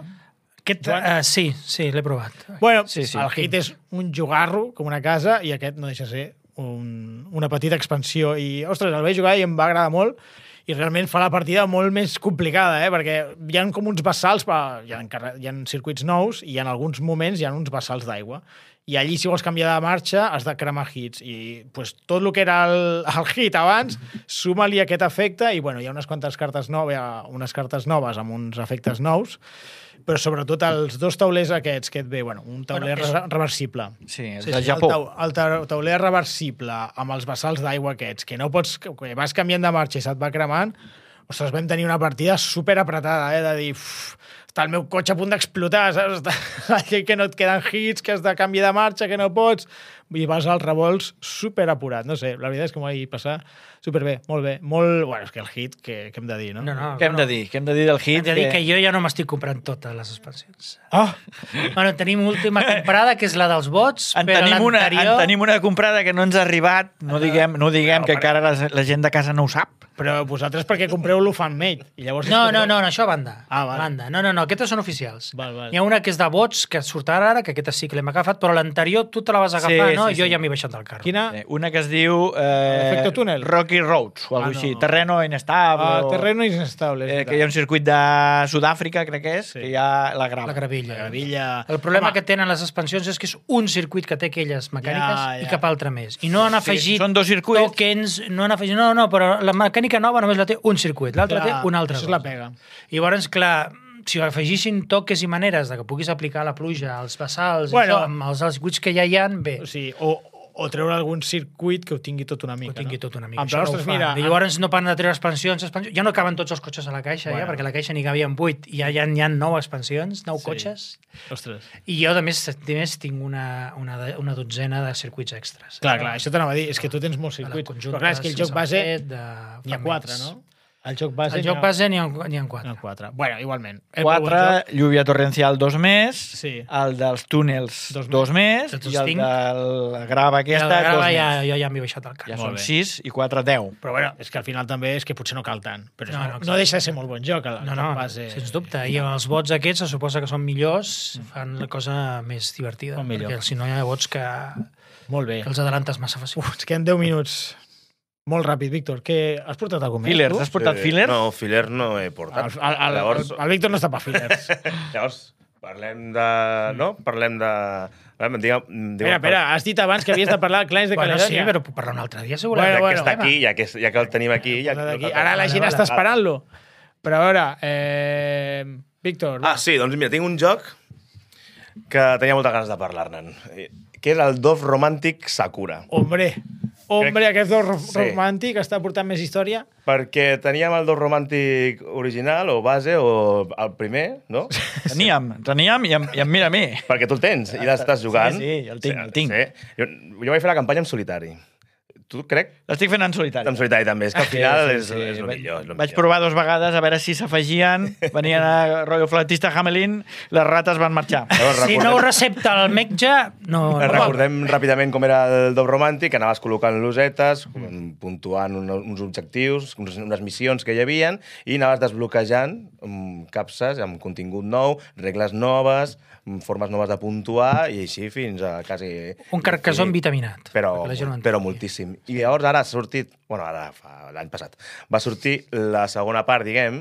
Sí, l'he provat. Bueno, el hit és un jugarro, com una casa, i aquest no deixa ser una petita expansió. I, ostres, el vaig jugar i em va agradar molt, i realment fa la partida molt més complicada, perquè hi ha com uns bassals, hi ha circuits nous i en alguns moments hi ha uns bassals d'aigua. I allí, si vols canviar de marxa, has de cremar hits. I tot el que era el hit abans, suma-li aquest efecte, i hi ha unes quantes cartes noves amb uns efectes nous, però sobretot els dos taulers aquests que et ve, un tauler reversible. Sí, és de Japó. El tauler reversible amb els bassals d'aigua aquests, que no pots, que vas canviant de marxa i se't va cremant, ostres, vam tenir una partida superapretada, de dir, està el meu cotxe a punt d'explotar, saps? Que no et queden hits, que has de canviar de marxa, que no pots, i vas als revolts superapurat. No sé, la veritat és que m'ho vaig passar superbé, molt bé. És que el hit, què hem de dir, no? Què hem de dir? Què hem de dir del hit? Hem de dir que jo ja no m'estic comprant totes les expansions. Tenim última comprada, que és la dels bots, però l'anterior... En tenim una comprada que no ens ha arribat, no diguem que encara la gent de casa no ho sap. Però vosaltres perquè compreu l'Ufan-Made. No, això a banda. Banda. No, aquestes són oficials. Hi ha una que és de bots, que surt ara, que aquesta sí que l'hem agafat, però l'anterior tu te la vas agafar, no? Jo ja m'he baixat del carro. Quina? Una que es diu Efecto túnel. Rocky Roads, o alguna així. Terreno inestable. Terreno inestable. Que hi ha un circuit de Sud-àfrica, crec que és, que hi ha la gravilla. El problema que tenen les expansions és que és un circuit que té aquelles mecàniques i cap altre més. I no han afegit tokens, no han afegit... No, però la mecànica nova només la té un circuit, l'altra té un altre. Això és la pega. I llavors, clar, si afegissin toques i maneres de que puguis aplicar la pluja, els bassals, amb els circuits que ja hi ha, bé. O treure algun circuit que ho tingui tot una mica. Però, ostres, mira... I llavors no paren de treure expansions. Ja no caben tots els cotxes a la caixa, perquè a la caixa n'hi cabien 8 i ja hi ha 9 expansions, 9 cotxes. Ostres. I jo, a més, tinc una dotzena de circuits extras. Clar, això t'anava a dir. És que tu tens molts circuits. Però clar, és que el joc base n'hi ha 4, no? El joc base n'hi ha 4. Bueno, igualment. 4, Lluvia Torrencial 2 més, el dels túnels 2 més, i el de la grava aquesta 2 més. Jo ja m'he baixat el carro. Ja són 6 i 4, 10. Però és que al final també és que potser no cal tant. Però no deixa de ser molt bon joc. No, sens dubte. I els bots aquests se suposa que són millors, fan la cosa més divertida. Perquè si no hi ha bots que els adelantes massa fàcil. Ens queden 10 minuts. Molt ràpid, Víctor. Has portat algun més? Fillers. Has portat fillers? No, fillers no he portat. El Víctor no està per fillers. Llavors, parlem de... No? Parlem de... Espera, has dit abans que havies de parlar de Clans de Caledònia. Sí, però puc parlar un altre dia, segurament. Ja que està aquí, ja que el tenim aquí... Ara la gent està esperant-lo. Però a veure, Víctor... Sí, doncs mira, tinc un joc que tenia moltes ganes de parlar-ne'n, que és el Dove Romantic Sakura. Hombre, aquest Dove Romàntic està portant més història. Perquè teníem el Dove Romàntic original, o base, o el primer, no? Teníem, i em mira a mi. Perquè tu el tens, i l'estàs jugant. Sí, el tinc. Jo vaig fer la campanya en solitari. Tu crec? L'estic fent en solitari. En solitari també, és que al final és el millor. Vaig provar 2 vegades a veure si s'afegien, venien a rotllo flautista Hamelin, les rates van marxar. Si no ho recepta el metge, no... Recordem ràpidament com era el Dove Romàntic, que anaves col·locant losetes, puntuant uns objectius, unes missions que hi havien, i anaves desbloquejant capses amb contingut nou, regles noves, formes noves de puntuar, i així fins a quasi... Un carcassó vitaminat. Però moltíssim. I llavors ara ha sortit... Bueno, ara l'any passat. Va sortir la segona part, diguem,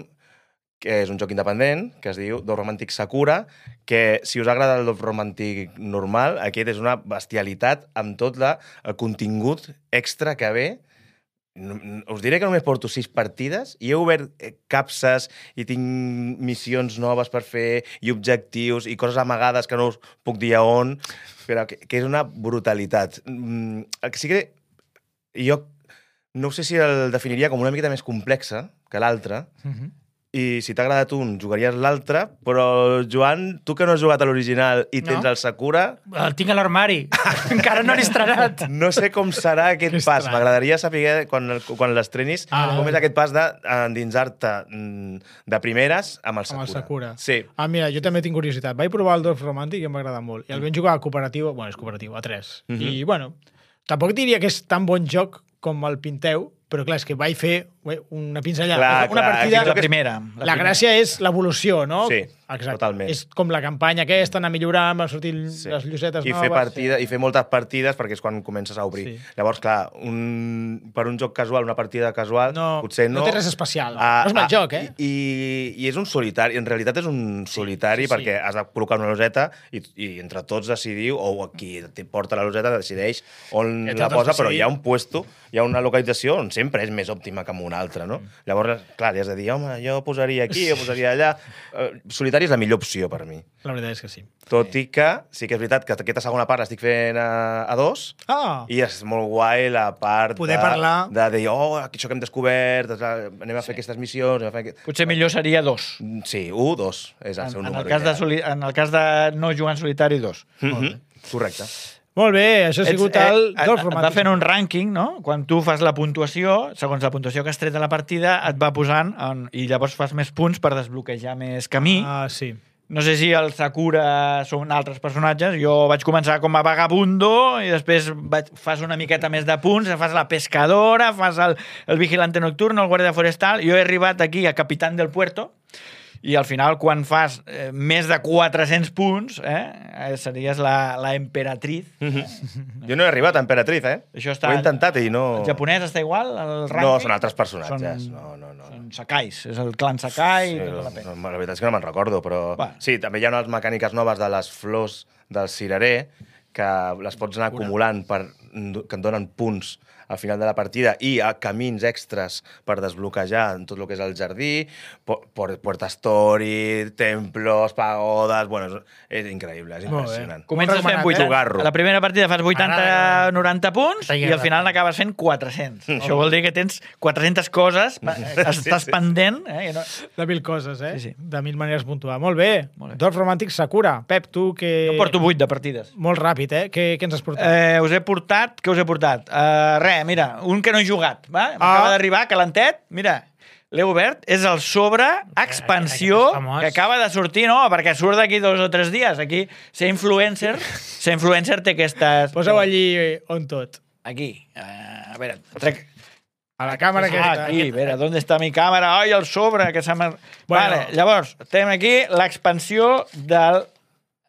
que és un joc independent, que es diu Dove Romantic Sakura, que si us agrada el Dove Romantic normal, aquest és una bestialitat amb tot el contingut extra que ve. Us diré que només porto 6 partides i he obert capses i tinc missions noves per fer i objectius i coses amagades que no us puc dir a on, però que és una brutalitat. El que sí que jo no sé si el definiria com una miqueta més complexa que l'altre, i si t'ha agradat un, jugaries l'altre, però, Joan, tu que no has jugat a l'original i tens el Sakura... El tinc a l'armari. Encara no l'he estrenat. No sé com serà aquest pas. M'agradaria saber, quan l'estrenis, com és aquest pas d'endinsar-te de primeres amb el Sakura. Amb el Sakura. Sí. Mira, jo també tinc curiositat. Vaig provar el Dove Romantic i em va agradar molt. I el vam jugar a cooperatiu, és cooperatiu, a 3. I, bueno, tampoc diria que és tan bon joc com el pinteu, però clar, és que vaig fer una pinzellada. Una partida... La primera. La gràcia és l'evolució, no? Sí, totalment. És com la campanya aquesta, anar millorant, van sortir les llosetes noves. I fer moltes partides, perquè és quan comences a obrir. Llavors, clar, per un joc casual, una partida casual, potser no... No té res especial. No és mal joc, eh? I és un solitari. En realitat és un solitari perquè has de col·locar una loseta i entre tots decidiu, o qui porta la loseta decideix on la posa, però hi ha un puesto, hi ha una localització on sempre és més òptima que en una altra, no? Llavors, clar, has de dir, home, jo posaria aquí, jo posaria allà... Solitari és la millor opció per mi. La veritat és que sí. Tot i que sí que és veritat que aquesta segona part l'estic fent a 2 i és molt guai la part poder parlar de dir, això que hem descobert, anem a fer aquestes missions... Potser millor seria 2. Sí, 1, 2 és el seu número. En el cas de no jugar en solitari, 2. Correcte. Molt bé, això ha sigut el Dove Romantic. Et va fent un rànquing, no? Quan tu fas la puntuació, segons la puntuació que has tret de la partida, et va posant, i llavors fas més punts per desbloquejar més camí. Sí. No sé si el Sakura són altres personatges. Jo vaig començar com a vagabundo i després fas una miqueta més de punts, fas la pescadora, fas el vigilante nocturno, el guàrdia forestal. Jo he arribat aquí a Capitán del Puerto i al final, quan fas més de 400 punts, series la emperatriz. Jo no he arribat a emperatriz, Això ho he intentat i no... El japonès està igual, el rànquing? No, són altres personatges. Són Sakais, és el clan Sakai. La veritat és que no me'n recordo, però... Sí, també hi ha unes mecàniques noves de les flors del cirerer que les pots anar acumulant que et donen punts al final de la partida i a camins extras per desbloquejar tot el que és el jardí, Puerta Story, templos, pagodes... Bueno, és increïble, és impressionant. Comences fent 8. A la primera partida fas 80-90 punts i al final n'acabes fent 400. Això vol dir que tens 400 coses, estàs pendent... De 1000 coses, De 1000 maneres de puntuar. Molt bé. Dove Romantic Sakura. Pep, tu que... Jo porto 8 de partides. Molt ràpid, Què ens has portat? Què us he portat? Mira, un que no he jugat, va? M'acaba d'arribar, calentet, mira, l'he obert, és el sobre expansió que acaba de sortir, no, perquè surt d'aquí 2 o 3 dies. Aquí, ser influencer té aquestes... Posa-ho allí on tot. Aquí, a veure, trec... A la càmera aquesta. Aquí, a veure, ¿dónde está mi càmera? Ai, el sobre, que se m'ha... Vale, llavors, tenim aquí l'expansió del...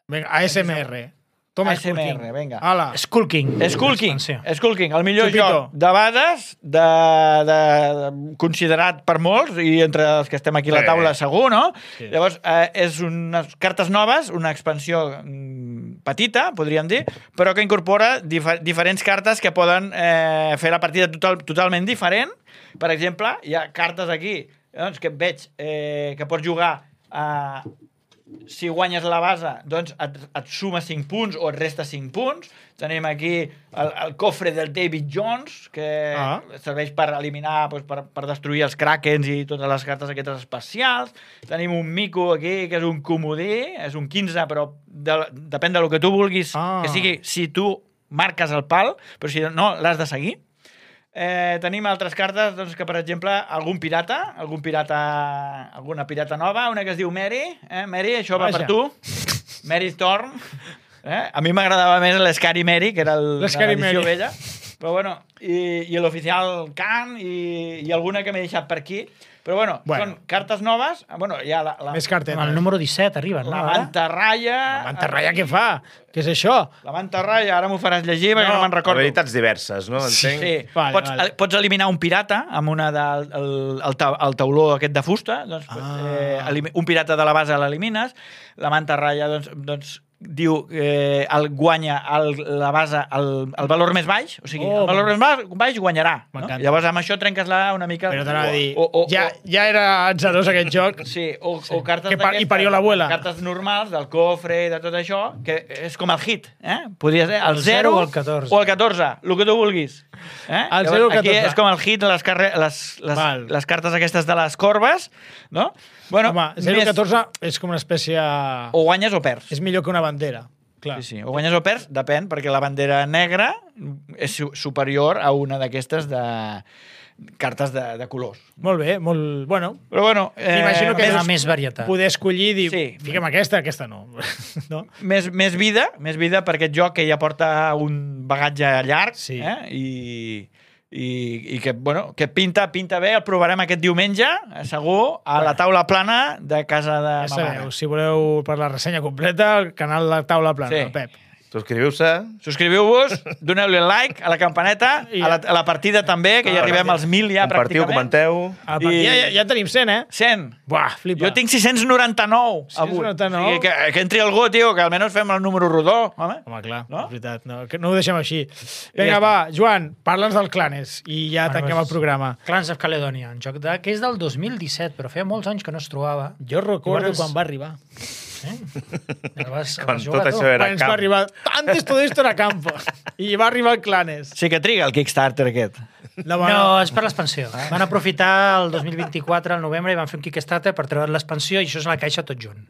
Vinga, ASMR. Toma ASMR, vinga. Ala. Skull King. El millor joc de bades, considerat per molts, i entre els que estem aquí a la taula segur, no? Sí. Llavors, és unes cartes noves, una expansió petita, podríem dir, però que incorpora diferents cartes que poden fer la partida totalment diferent. Per exemple, hi ha cartes aquí que veig que pots jugar a... Si guanyes la base, doncs et suma 5 punts o et resta 5 punts. Tenim aquí el cofre del David Jones, que serveix per eliminar, per destruir els Krakens i totes les cartes aquestes especials. Tenim un mico aquí, que és un comodí, és un 15, però depèn del que tu vulguis que sigui, si tu marques el pal, però si no, l'has de seguir. tenim altres cartes doncs, que, per exemple, alguna pirata nova, una que es diu Mary. Mary, això va per tu. Mary Storm. A mi m'agradava més l'Scary Mary, que era l'edició vella. Però bueno, i l'oficial Khan i alguna que m'he deixat per aquí. Però bueno, són cartes noves. Bueno, hi ha més cartes. El número 17 arriben, no? La mantarraya. La mantarraya què fa? Què és això? La mantarraya, ara m'ho faràs llegir perquè no me'n recordo. Veritats diverses, no? Entenc? Sí. Pots eliminar un pirata amb una el tauló aquest de fusta. Doncs, un pirata de la base l'elimines. La mantarraya, doncs diu el guanya la base el valor més baix, o sigui, el valor més baix guanyarà. No? Llavors amb això trenques-la una mica. Però t'anava a dir, ja era atzarós aquest joc. Sí, o cartes I parió l'abuela. Cartes normals del cofre i de tot això, que és com el hit. Podria ser el 0 o el 14. O el 14, el que tu vulguis. El 0 o el 14. Aquí és com el hit, les cartes aquestes de les corbes, no? Bueno, home, 0 o 14 és com una espècie... O guanyes o perds. És millor que una bandera. Clar. Sí. O guanyes o perds, depèn, perquè la bandera negra és superior a una d'aquestes de cartes de colors. Molt bé, molt... Bueno, però bueno... m'imagino que més varietat. Poder escollir i dir, fiquem aquesta no. No? Més vida per aquest joc que ja porta un bagatge llarg i que, bueno, que pinta bé, el provarem aquest diumenge, segur, a la taula plana de casa de ma mare. Si voleu per la ressenya completa, el canal de Taula Plana, Pep. Subscriviu-vos, doneu-li like a la campaneta, a la partida també, que ja arribem als 1.000 ja pràcticament. Comenteu. Ja tenim 100, 100. Buah, flipa. Jo tinc 699 avui. 699. O sigui, que entri algú, tio, que almenys fem el número rodó. Home, clar, és veritat. No ho deixem així. Vinga, va, Joan, parla'ns del Clanes i ja tanquem el programa. Clans of Caledonia, un joc que és del 2017, però feia molts anys que no es trobava. Jo recordo quan va arribar. Quan tot això era camp. Va arribar, antes todo esto era campo. I va arribar el Clanes. Sí que triga el Kickstarter aquest. No, és per l'expansió. Van aprofitar el 2024, al novembre, i van fer un Kickstarter per treure l'expansió, i això és la caixa tot junt.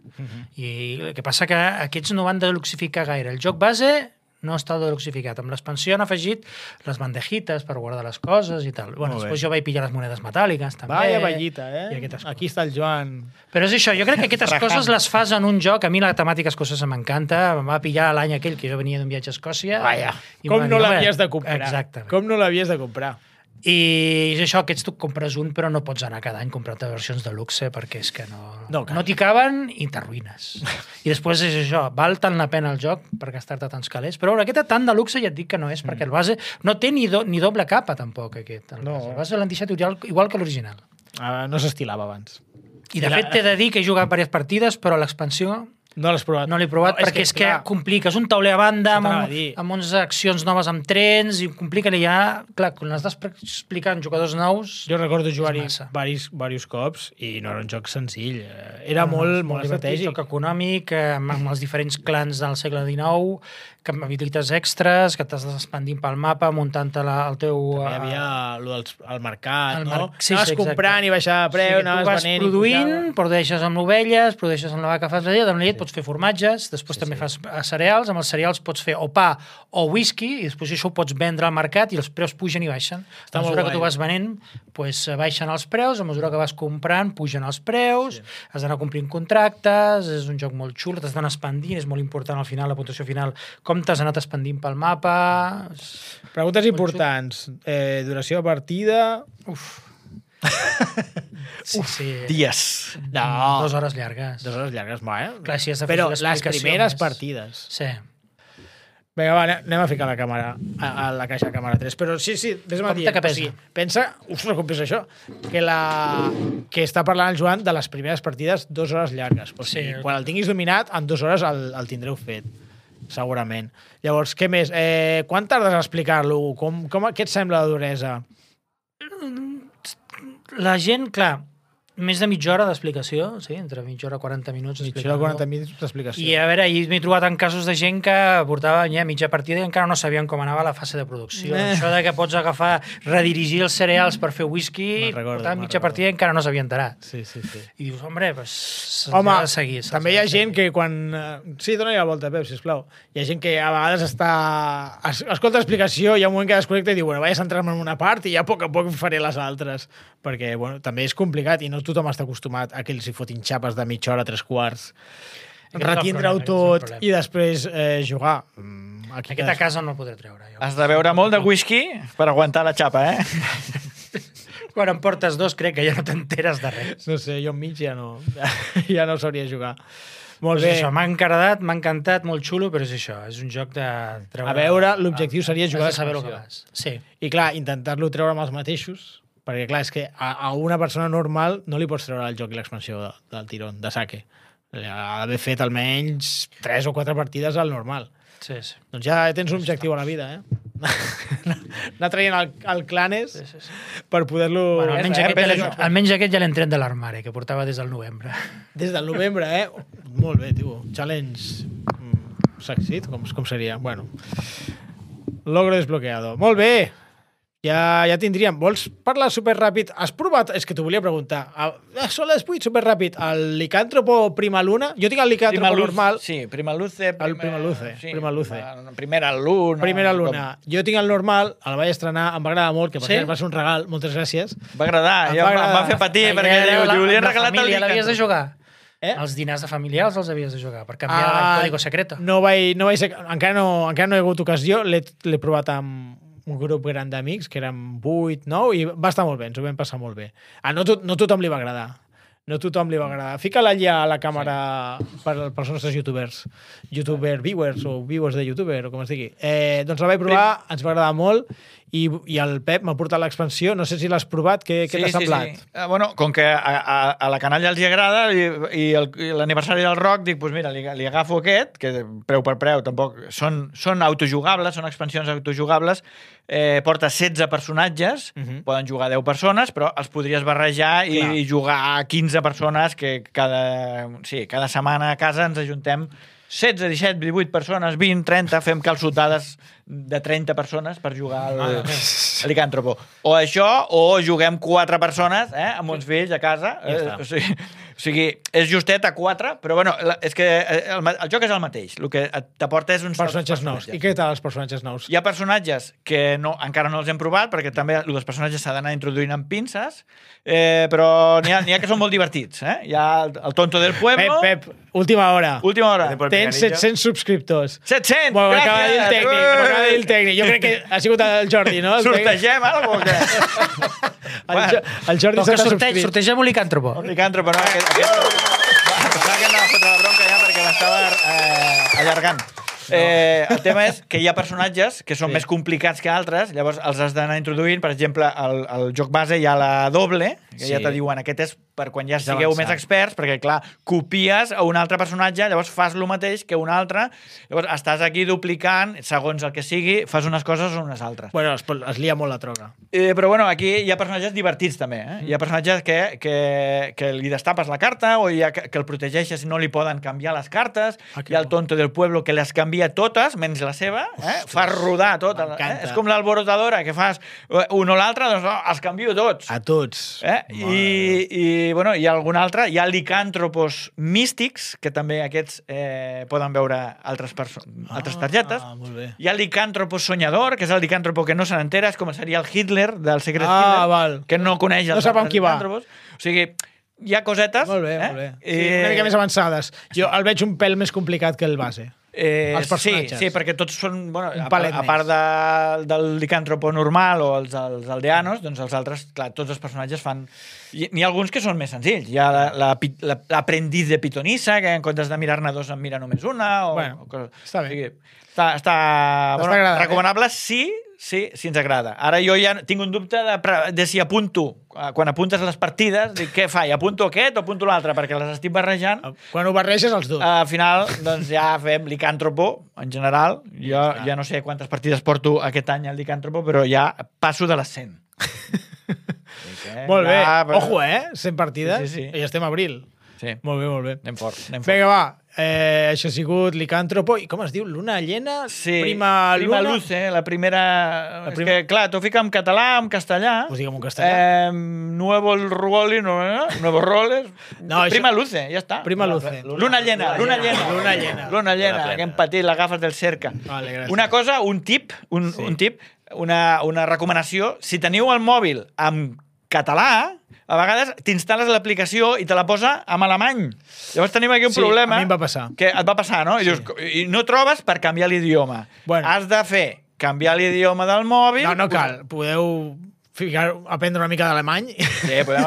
I el que passa que aquests no van deluxificar gaire. El joc base no està deluxificat. Amb l'expansió han afegit les bandejites per guardar les coses i tal. Bueno, després jo vaig pillar les monedes metàl·liques, també. Vaya ballita, Aquí està el Joan. Però és això, jo crec que aquestes coses les fas en un joc. A mi la temàtica escocesa m'encanta. Em va pillar l'any aquell que jo venia d'un viatge a Escòcia. Vaya, com no l'havies de comprar. Exactament. Com no l'havies de comprar. I és això, aquests tu compres un, però no pots anar cada any comprant-te versions de luxe perquè és que no t'hi caben i t'arruïnes. I després és això, val tant la pena el joc per gastar-te tants calés, però aquest tant de luxe ja et dic que no és, perquè el base no té ni doble capa tampoc, aquest. El base l'han deixat igual que l'original. No s'estilava abans. I de fet t'he de dir que he jugat diverses partides, però l'expansió no l'has provat. No l'he provat perquè és que compliques un tauler a banda amb unes accions noves amb trens i complica-li ja... Clar, quan has d'explicar en jugadors nous... Jo recordo jugar-hi diversos cops i no era un joc senzill. Era molt estratègic. Joc econòmic, amb els diferents clans del segle XIX, amb habilitats extras, que t'has d'expandir pel mapa, muntant-te el teu... També hi havia el mercat, no? Anaves comprant i baixar de preu, anaves venent... Tu vas produint, produeixes amb ovelles, produeixes amb la vaca, fas la llet, amb la llet pots fer formatges, després també fas cereals, amb els cereals pots fer o pa o whisky, i després això ho pots vendre al mercat i els preus pugen i baixen. A mesura que tu vas venent, baixen els preus, a mesura que vas comprant, pugen els preus, has d'anar complint contractes, és un joc molt xulo, t'has d'anar expandint, és molt important al final, la puntuació final, com t'has anat expandint pel mapa... Preguntes importants. Duració de partida... Sí. Dies. No. 2 hores llargues. 2 hores llargues, Clar, si però les primeres partides. Sí. Vinga, va, anem a ficar la càmera a la caixa de càmera 3. Però sí, vés-me dient. Que pesa. Pensa, com pesa això, que està parlant el Joan de les primeres partides 2 hores llargues. Quan el tinguis dominat, en 2 hores el tindreu fet. Segurament. Llavors, què més? Quan tardes a explicar-lo? Què et sembla la duresa? La gent, clar, més de mitja hora d'explicació, sí, entre mitja hora i 40 minuts. Mitja hora, 40 minuts d'explicació. I a veure, ahir m'he trobat en casos de gent que portava ja mitja partida i encara no sabien com anava la fase de producció. Això de que pots agafar, redirigir els cereals per fer whisky, portava mitja partida i encara no s'havia enterat. Sí. I dius, hombre, pues, home, de seguir. També hi ha gent que quan... Sí, dona-hi la volta, Pep, sisplau. Hi ha gent que a vegades escolta l'explicació, hi ha un moment que desconnecta i diu, bueno, vaig a centrar-me en una part i ja a poc faré les altres. Perquè, bueno, també és complicat i no tothom està acostumat a que els hi fotin xapes de mitja hora, 3/4, retindre-ho tot i després jugar. Aquest a casa no el podré treure. Jo. Has de beure molt de whisky per aguantar la xapa, Quan em portes 2 crec que ja no t'enteres de res. No sé, jo enmig ja no sabria jugar. Molt Pues bé. això, m'ha encantat, molt xulo, però és això, és un joc de treure... A veure, l'objectiu seria jugar has de saber el que l'expansió. vas. Sí. I clar, intentar-lo treure amb els mateixos, perquè clar, és que a una persona normal no li pots treure el joc i l'expansió del tirón, de saque. Ha d'haver fet almenys 3 o 4 partides al normal. Sí. Doncs ja tens un objectiu a la vida, anar traient el Clanes per poder-lo... Bueno, almenys aquest ja l'hem tret de l'armari, que portava des del novembre. Des del novembre, Molt bé, tio. Challenge succeed, com seria? Bueno, logro desbloqueado. Molt bé! Ja tindríem. Vols parlar superràpid? Has provat? És que t'ho volia preguntar. Són les 8, superràpid. El Licàntropo Prima Luna? Jo tinc el Licàntropo normal. Sí, Prima Luce. Prima Luce. Primera Luna. Primera Luna. Jo tinc el normal, el vaig estrenar, em va agradar molt, que per cert va ser un regal. Moltes gràcies. Va agradar. Em va fer patir, perquè li volien regalar el Licàntropo. L'havies de jugar? Els dinars de familiars els havies de jugar per canviar el código secreto. No vaig ser, encara no he hagut ocasió, l'he provat amb un grup gran d'amics, que eren 8, 9, i va estar molt bé, ens ho vam passar molt bé. No tothom li va agradar. No tothom li va agradar. Fica-la allà a la càmera pels nostres youtubers. Youtuber viewers o viewers de youtuber, o com es digui. Doncs la vaig provar, ens va agradar molt, i el Pep m'ha portat l'expansió. No sé si l'has provat, què t'ha semblat? Sí. Bueno, com que a la canalla els hi agrada i l'aniversari del Roc, dic, doncs mira, li agafo aquest, que preu per preu, tampoc són autojugables, són expansions autojugables, porta 16 personatges, poden jugar 10 persones, però els podries barrejar i jugar a 15 persones, que cada setmana a casa ens ajuntem 16, 17, 18 persones, 20, 30, fem calçotades de 30 persones per jugar al Licàntropo. O això, o juguem 4 persones amb uns fills a casa. O sigui, és justet a 4, però bueno, és que el joc és el mateix. El que t'aporta és uns personatges nous. I què tal els personatges nous? Hi ha personatges que encara no els hem provat, perquè també els personatges s'ha d'anar introduint amb pinces, però n'hi ha que són molt divertits. Hi ha el tonto del pueblo... Pep, última hora. Tens 700 subscriptors. 700! Bueno, m'acaba de dir el tècnic. Jo crec que ha sigut el Jordi, no? Sortegem alguna cosa? El Jordi s'ha subscrit. Sortegem un Licàntropo. Un Licàntropo, no? Pensava que anava a fotre la bronca ja perquè m'estava allargant. El tema és que hi ha personatges que són més complicats que altres, llavors els has d'anar introduint. Per exemple, al joc base hi ha la doble, que ja te diuen, aquest és per quan ja sigueu més experts, perquè, clar, copies a un altre personatge, llavors fas el mateix que un altre, llavors estàs aquí duplicant, segons el que sigui, fas unes coses o unes altres. Bueno, es lia molt la droga. Però, bueno, aquí hi ha personatges divertits, també. Hi ha personatges que li destapes la carta, o hi ha que el protegeixes i no li poden canviar les cartes, hi ha el tonto del pueblo que les canvia totes, menys la seva, fas rodar tot. És com l'alborotadora, que fas un o l'altre, doncs els canvio tots. A tots. I bueno, hi ha algun altre. Hi ha licàntropos místics, que també aquests poden veure altres targetes. Molt bé. Hi ha licàntropo soñador, que és el licàntropo que no se n'entera, és com seria el Hitler del Secret Hitler, que no coneix els licàntropos. O sigui, hi ha cosetes. Molt bé, molt bé. Una mica més avançades. Jo el veig un pèl més complicat que el base. Els personatges. Sí, perquè tots són, bueno, a part del licàntropo normal o els aldeanos, doncs els altres, clar, tots els personatges fan... N'hi ha alguns que són més senzills. Hi ha l'aprendiz de pitonissa, que en comptes de mirar-ne dos en mira només una. Bueno, està bé. Està recomanable si ens agrada. Ara jo ja tinc un dubte de si apunto, quan apuntes les partides, dic, què fa? Apunto aquest o apunto l'altre? Perquè les estic barrejant. Quan ho barreges, els dos. Al final, doncs ja fem licàntropo, en general. Jo ja no sé quantes partides porto aquest any al licàntropo, però ja passo de les 100. Molt bé. Però... Ojo, 100 partides. Sí. I estem a abril. Sí. Molt bé. Anem fort. Vinga, va. Això ha sigut Licàntropo. I com es diu? Luna llena? Sí. Prima luna? Luce, la primera... És que, clar, t'ho fica en català, en castellà. Pues digue'm en castellà. Nuevo Roles, Nuevos Roles. No, Prima això... Luce, ja està. Prima Luce. Luna llena. Luna Que hem patit, l'agafes del cerca. Vale, gràcies. Una cosa, un tip, una recomanació. Si teniu el mòbil en català, a vegades t'instal·les l'aplicació i te la posa en alemany. Llavors tenim aquí un problema. A mi em va passar. Que et va passar, no? I dius, i no trobes per canviar l'idioma. Bueno. Has de fer canviar l'idioma del mòbil. No cal. Podeu aprendre una mica d'alemany Sí, podem...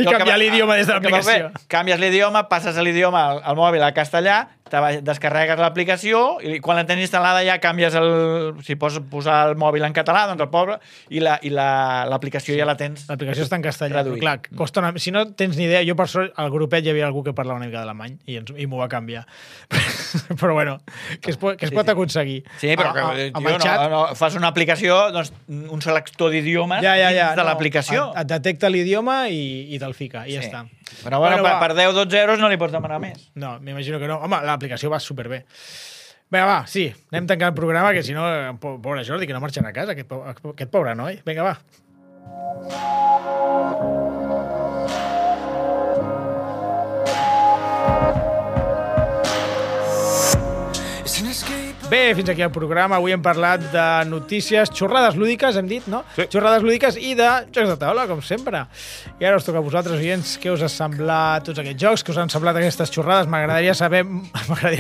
i canviar l'idioma des de l'aplicació. Canvies l'idioma, passes l'idioma al mòbil al castellà, descarregues l'aplicació i quan la tens instal·lada ja canvies si pots posar el mòbil en català, doncs el poble, i l'aplicació ja la tens. L'aplicació està en castellà, però traduït. clar, costa si no tens ni idea, jo per sort al grupet hi havia algú que parlava una mica d'alemany i m'ho va canviar. Però bueno, que es pot aconseguir. Sí, però amb el xat, fas una aplicació, doncs, un selector d'idiomes ja, de l'aplicació. Et detecta l'idioma i te'l fica, i ja està. Però bueno, per 10-12 euros no li pots demanar més. No, m'imagino que no. Home, l'aplicació va superbé. Vinga, va, sí, anem tancant el programa, que si no, pobre Jordi, que no marxarà a casa, aquest pobre noi. Vinga, va. Bé, fins aquí el programa. Avui hem parlat de notícies, xorrades lúdiques, hem dit, no? Sí. Xorrades lúdiques i de jocs de taula, com sempre. I ara us toca a vosaltres, oients, què us ha semblat tots aquests jocs, què us han semblat aquestes xorrades. M'agradaria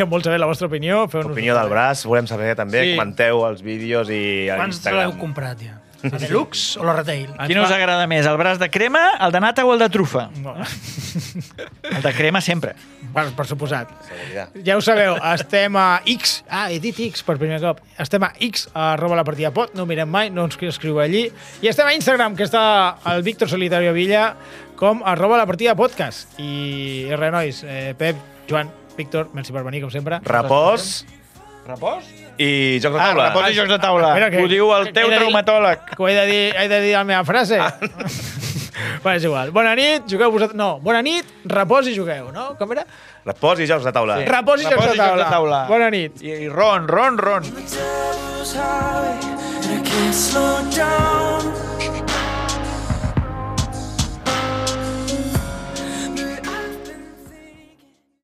molt saber la vostra opinió. Opinió del braç, volem saber també. Sí. Comenteu els vídeos i a Quants Instagram. l'heu comprat, ja? La Deluxe o la Retail? Quin us agrada més, el braç de crema, el de nata o el de trufa? No. El de crema sempre. Per suposat. Seguretat. Ja ho sabeu, estem a X. He dit X per primer cop. Estem a X, @lapartidapod, no ho mirem mai, no ens escriu allí. I estem a Instagram, que està el Víctor Solitario Villa, com @lapartidapodcast. I res, nois, Pep, Joan, Víctor, merci per venir, com sempre. Repòs Repòs? i jocs de taula. Repòs i jocs de taula. Espera, Ho diu el teu traumatòleg. Que ho he de dir la meva frase. Va, és igual. Bona nit, jugueu vosaltres... No, bona nit, repòs i jugueu, no? Com era? Repòs i jocs de taula. Sí. Repòs i jocs de taula. Bona nit. I ron. The devil's high, and I can't slow down.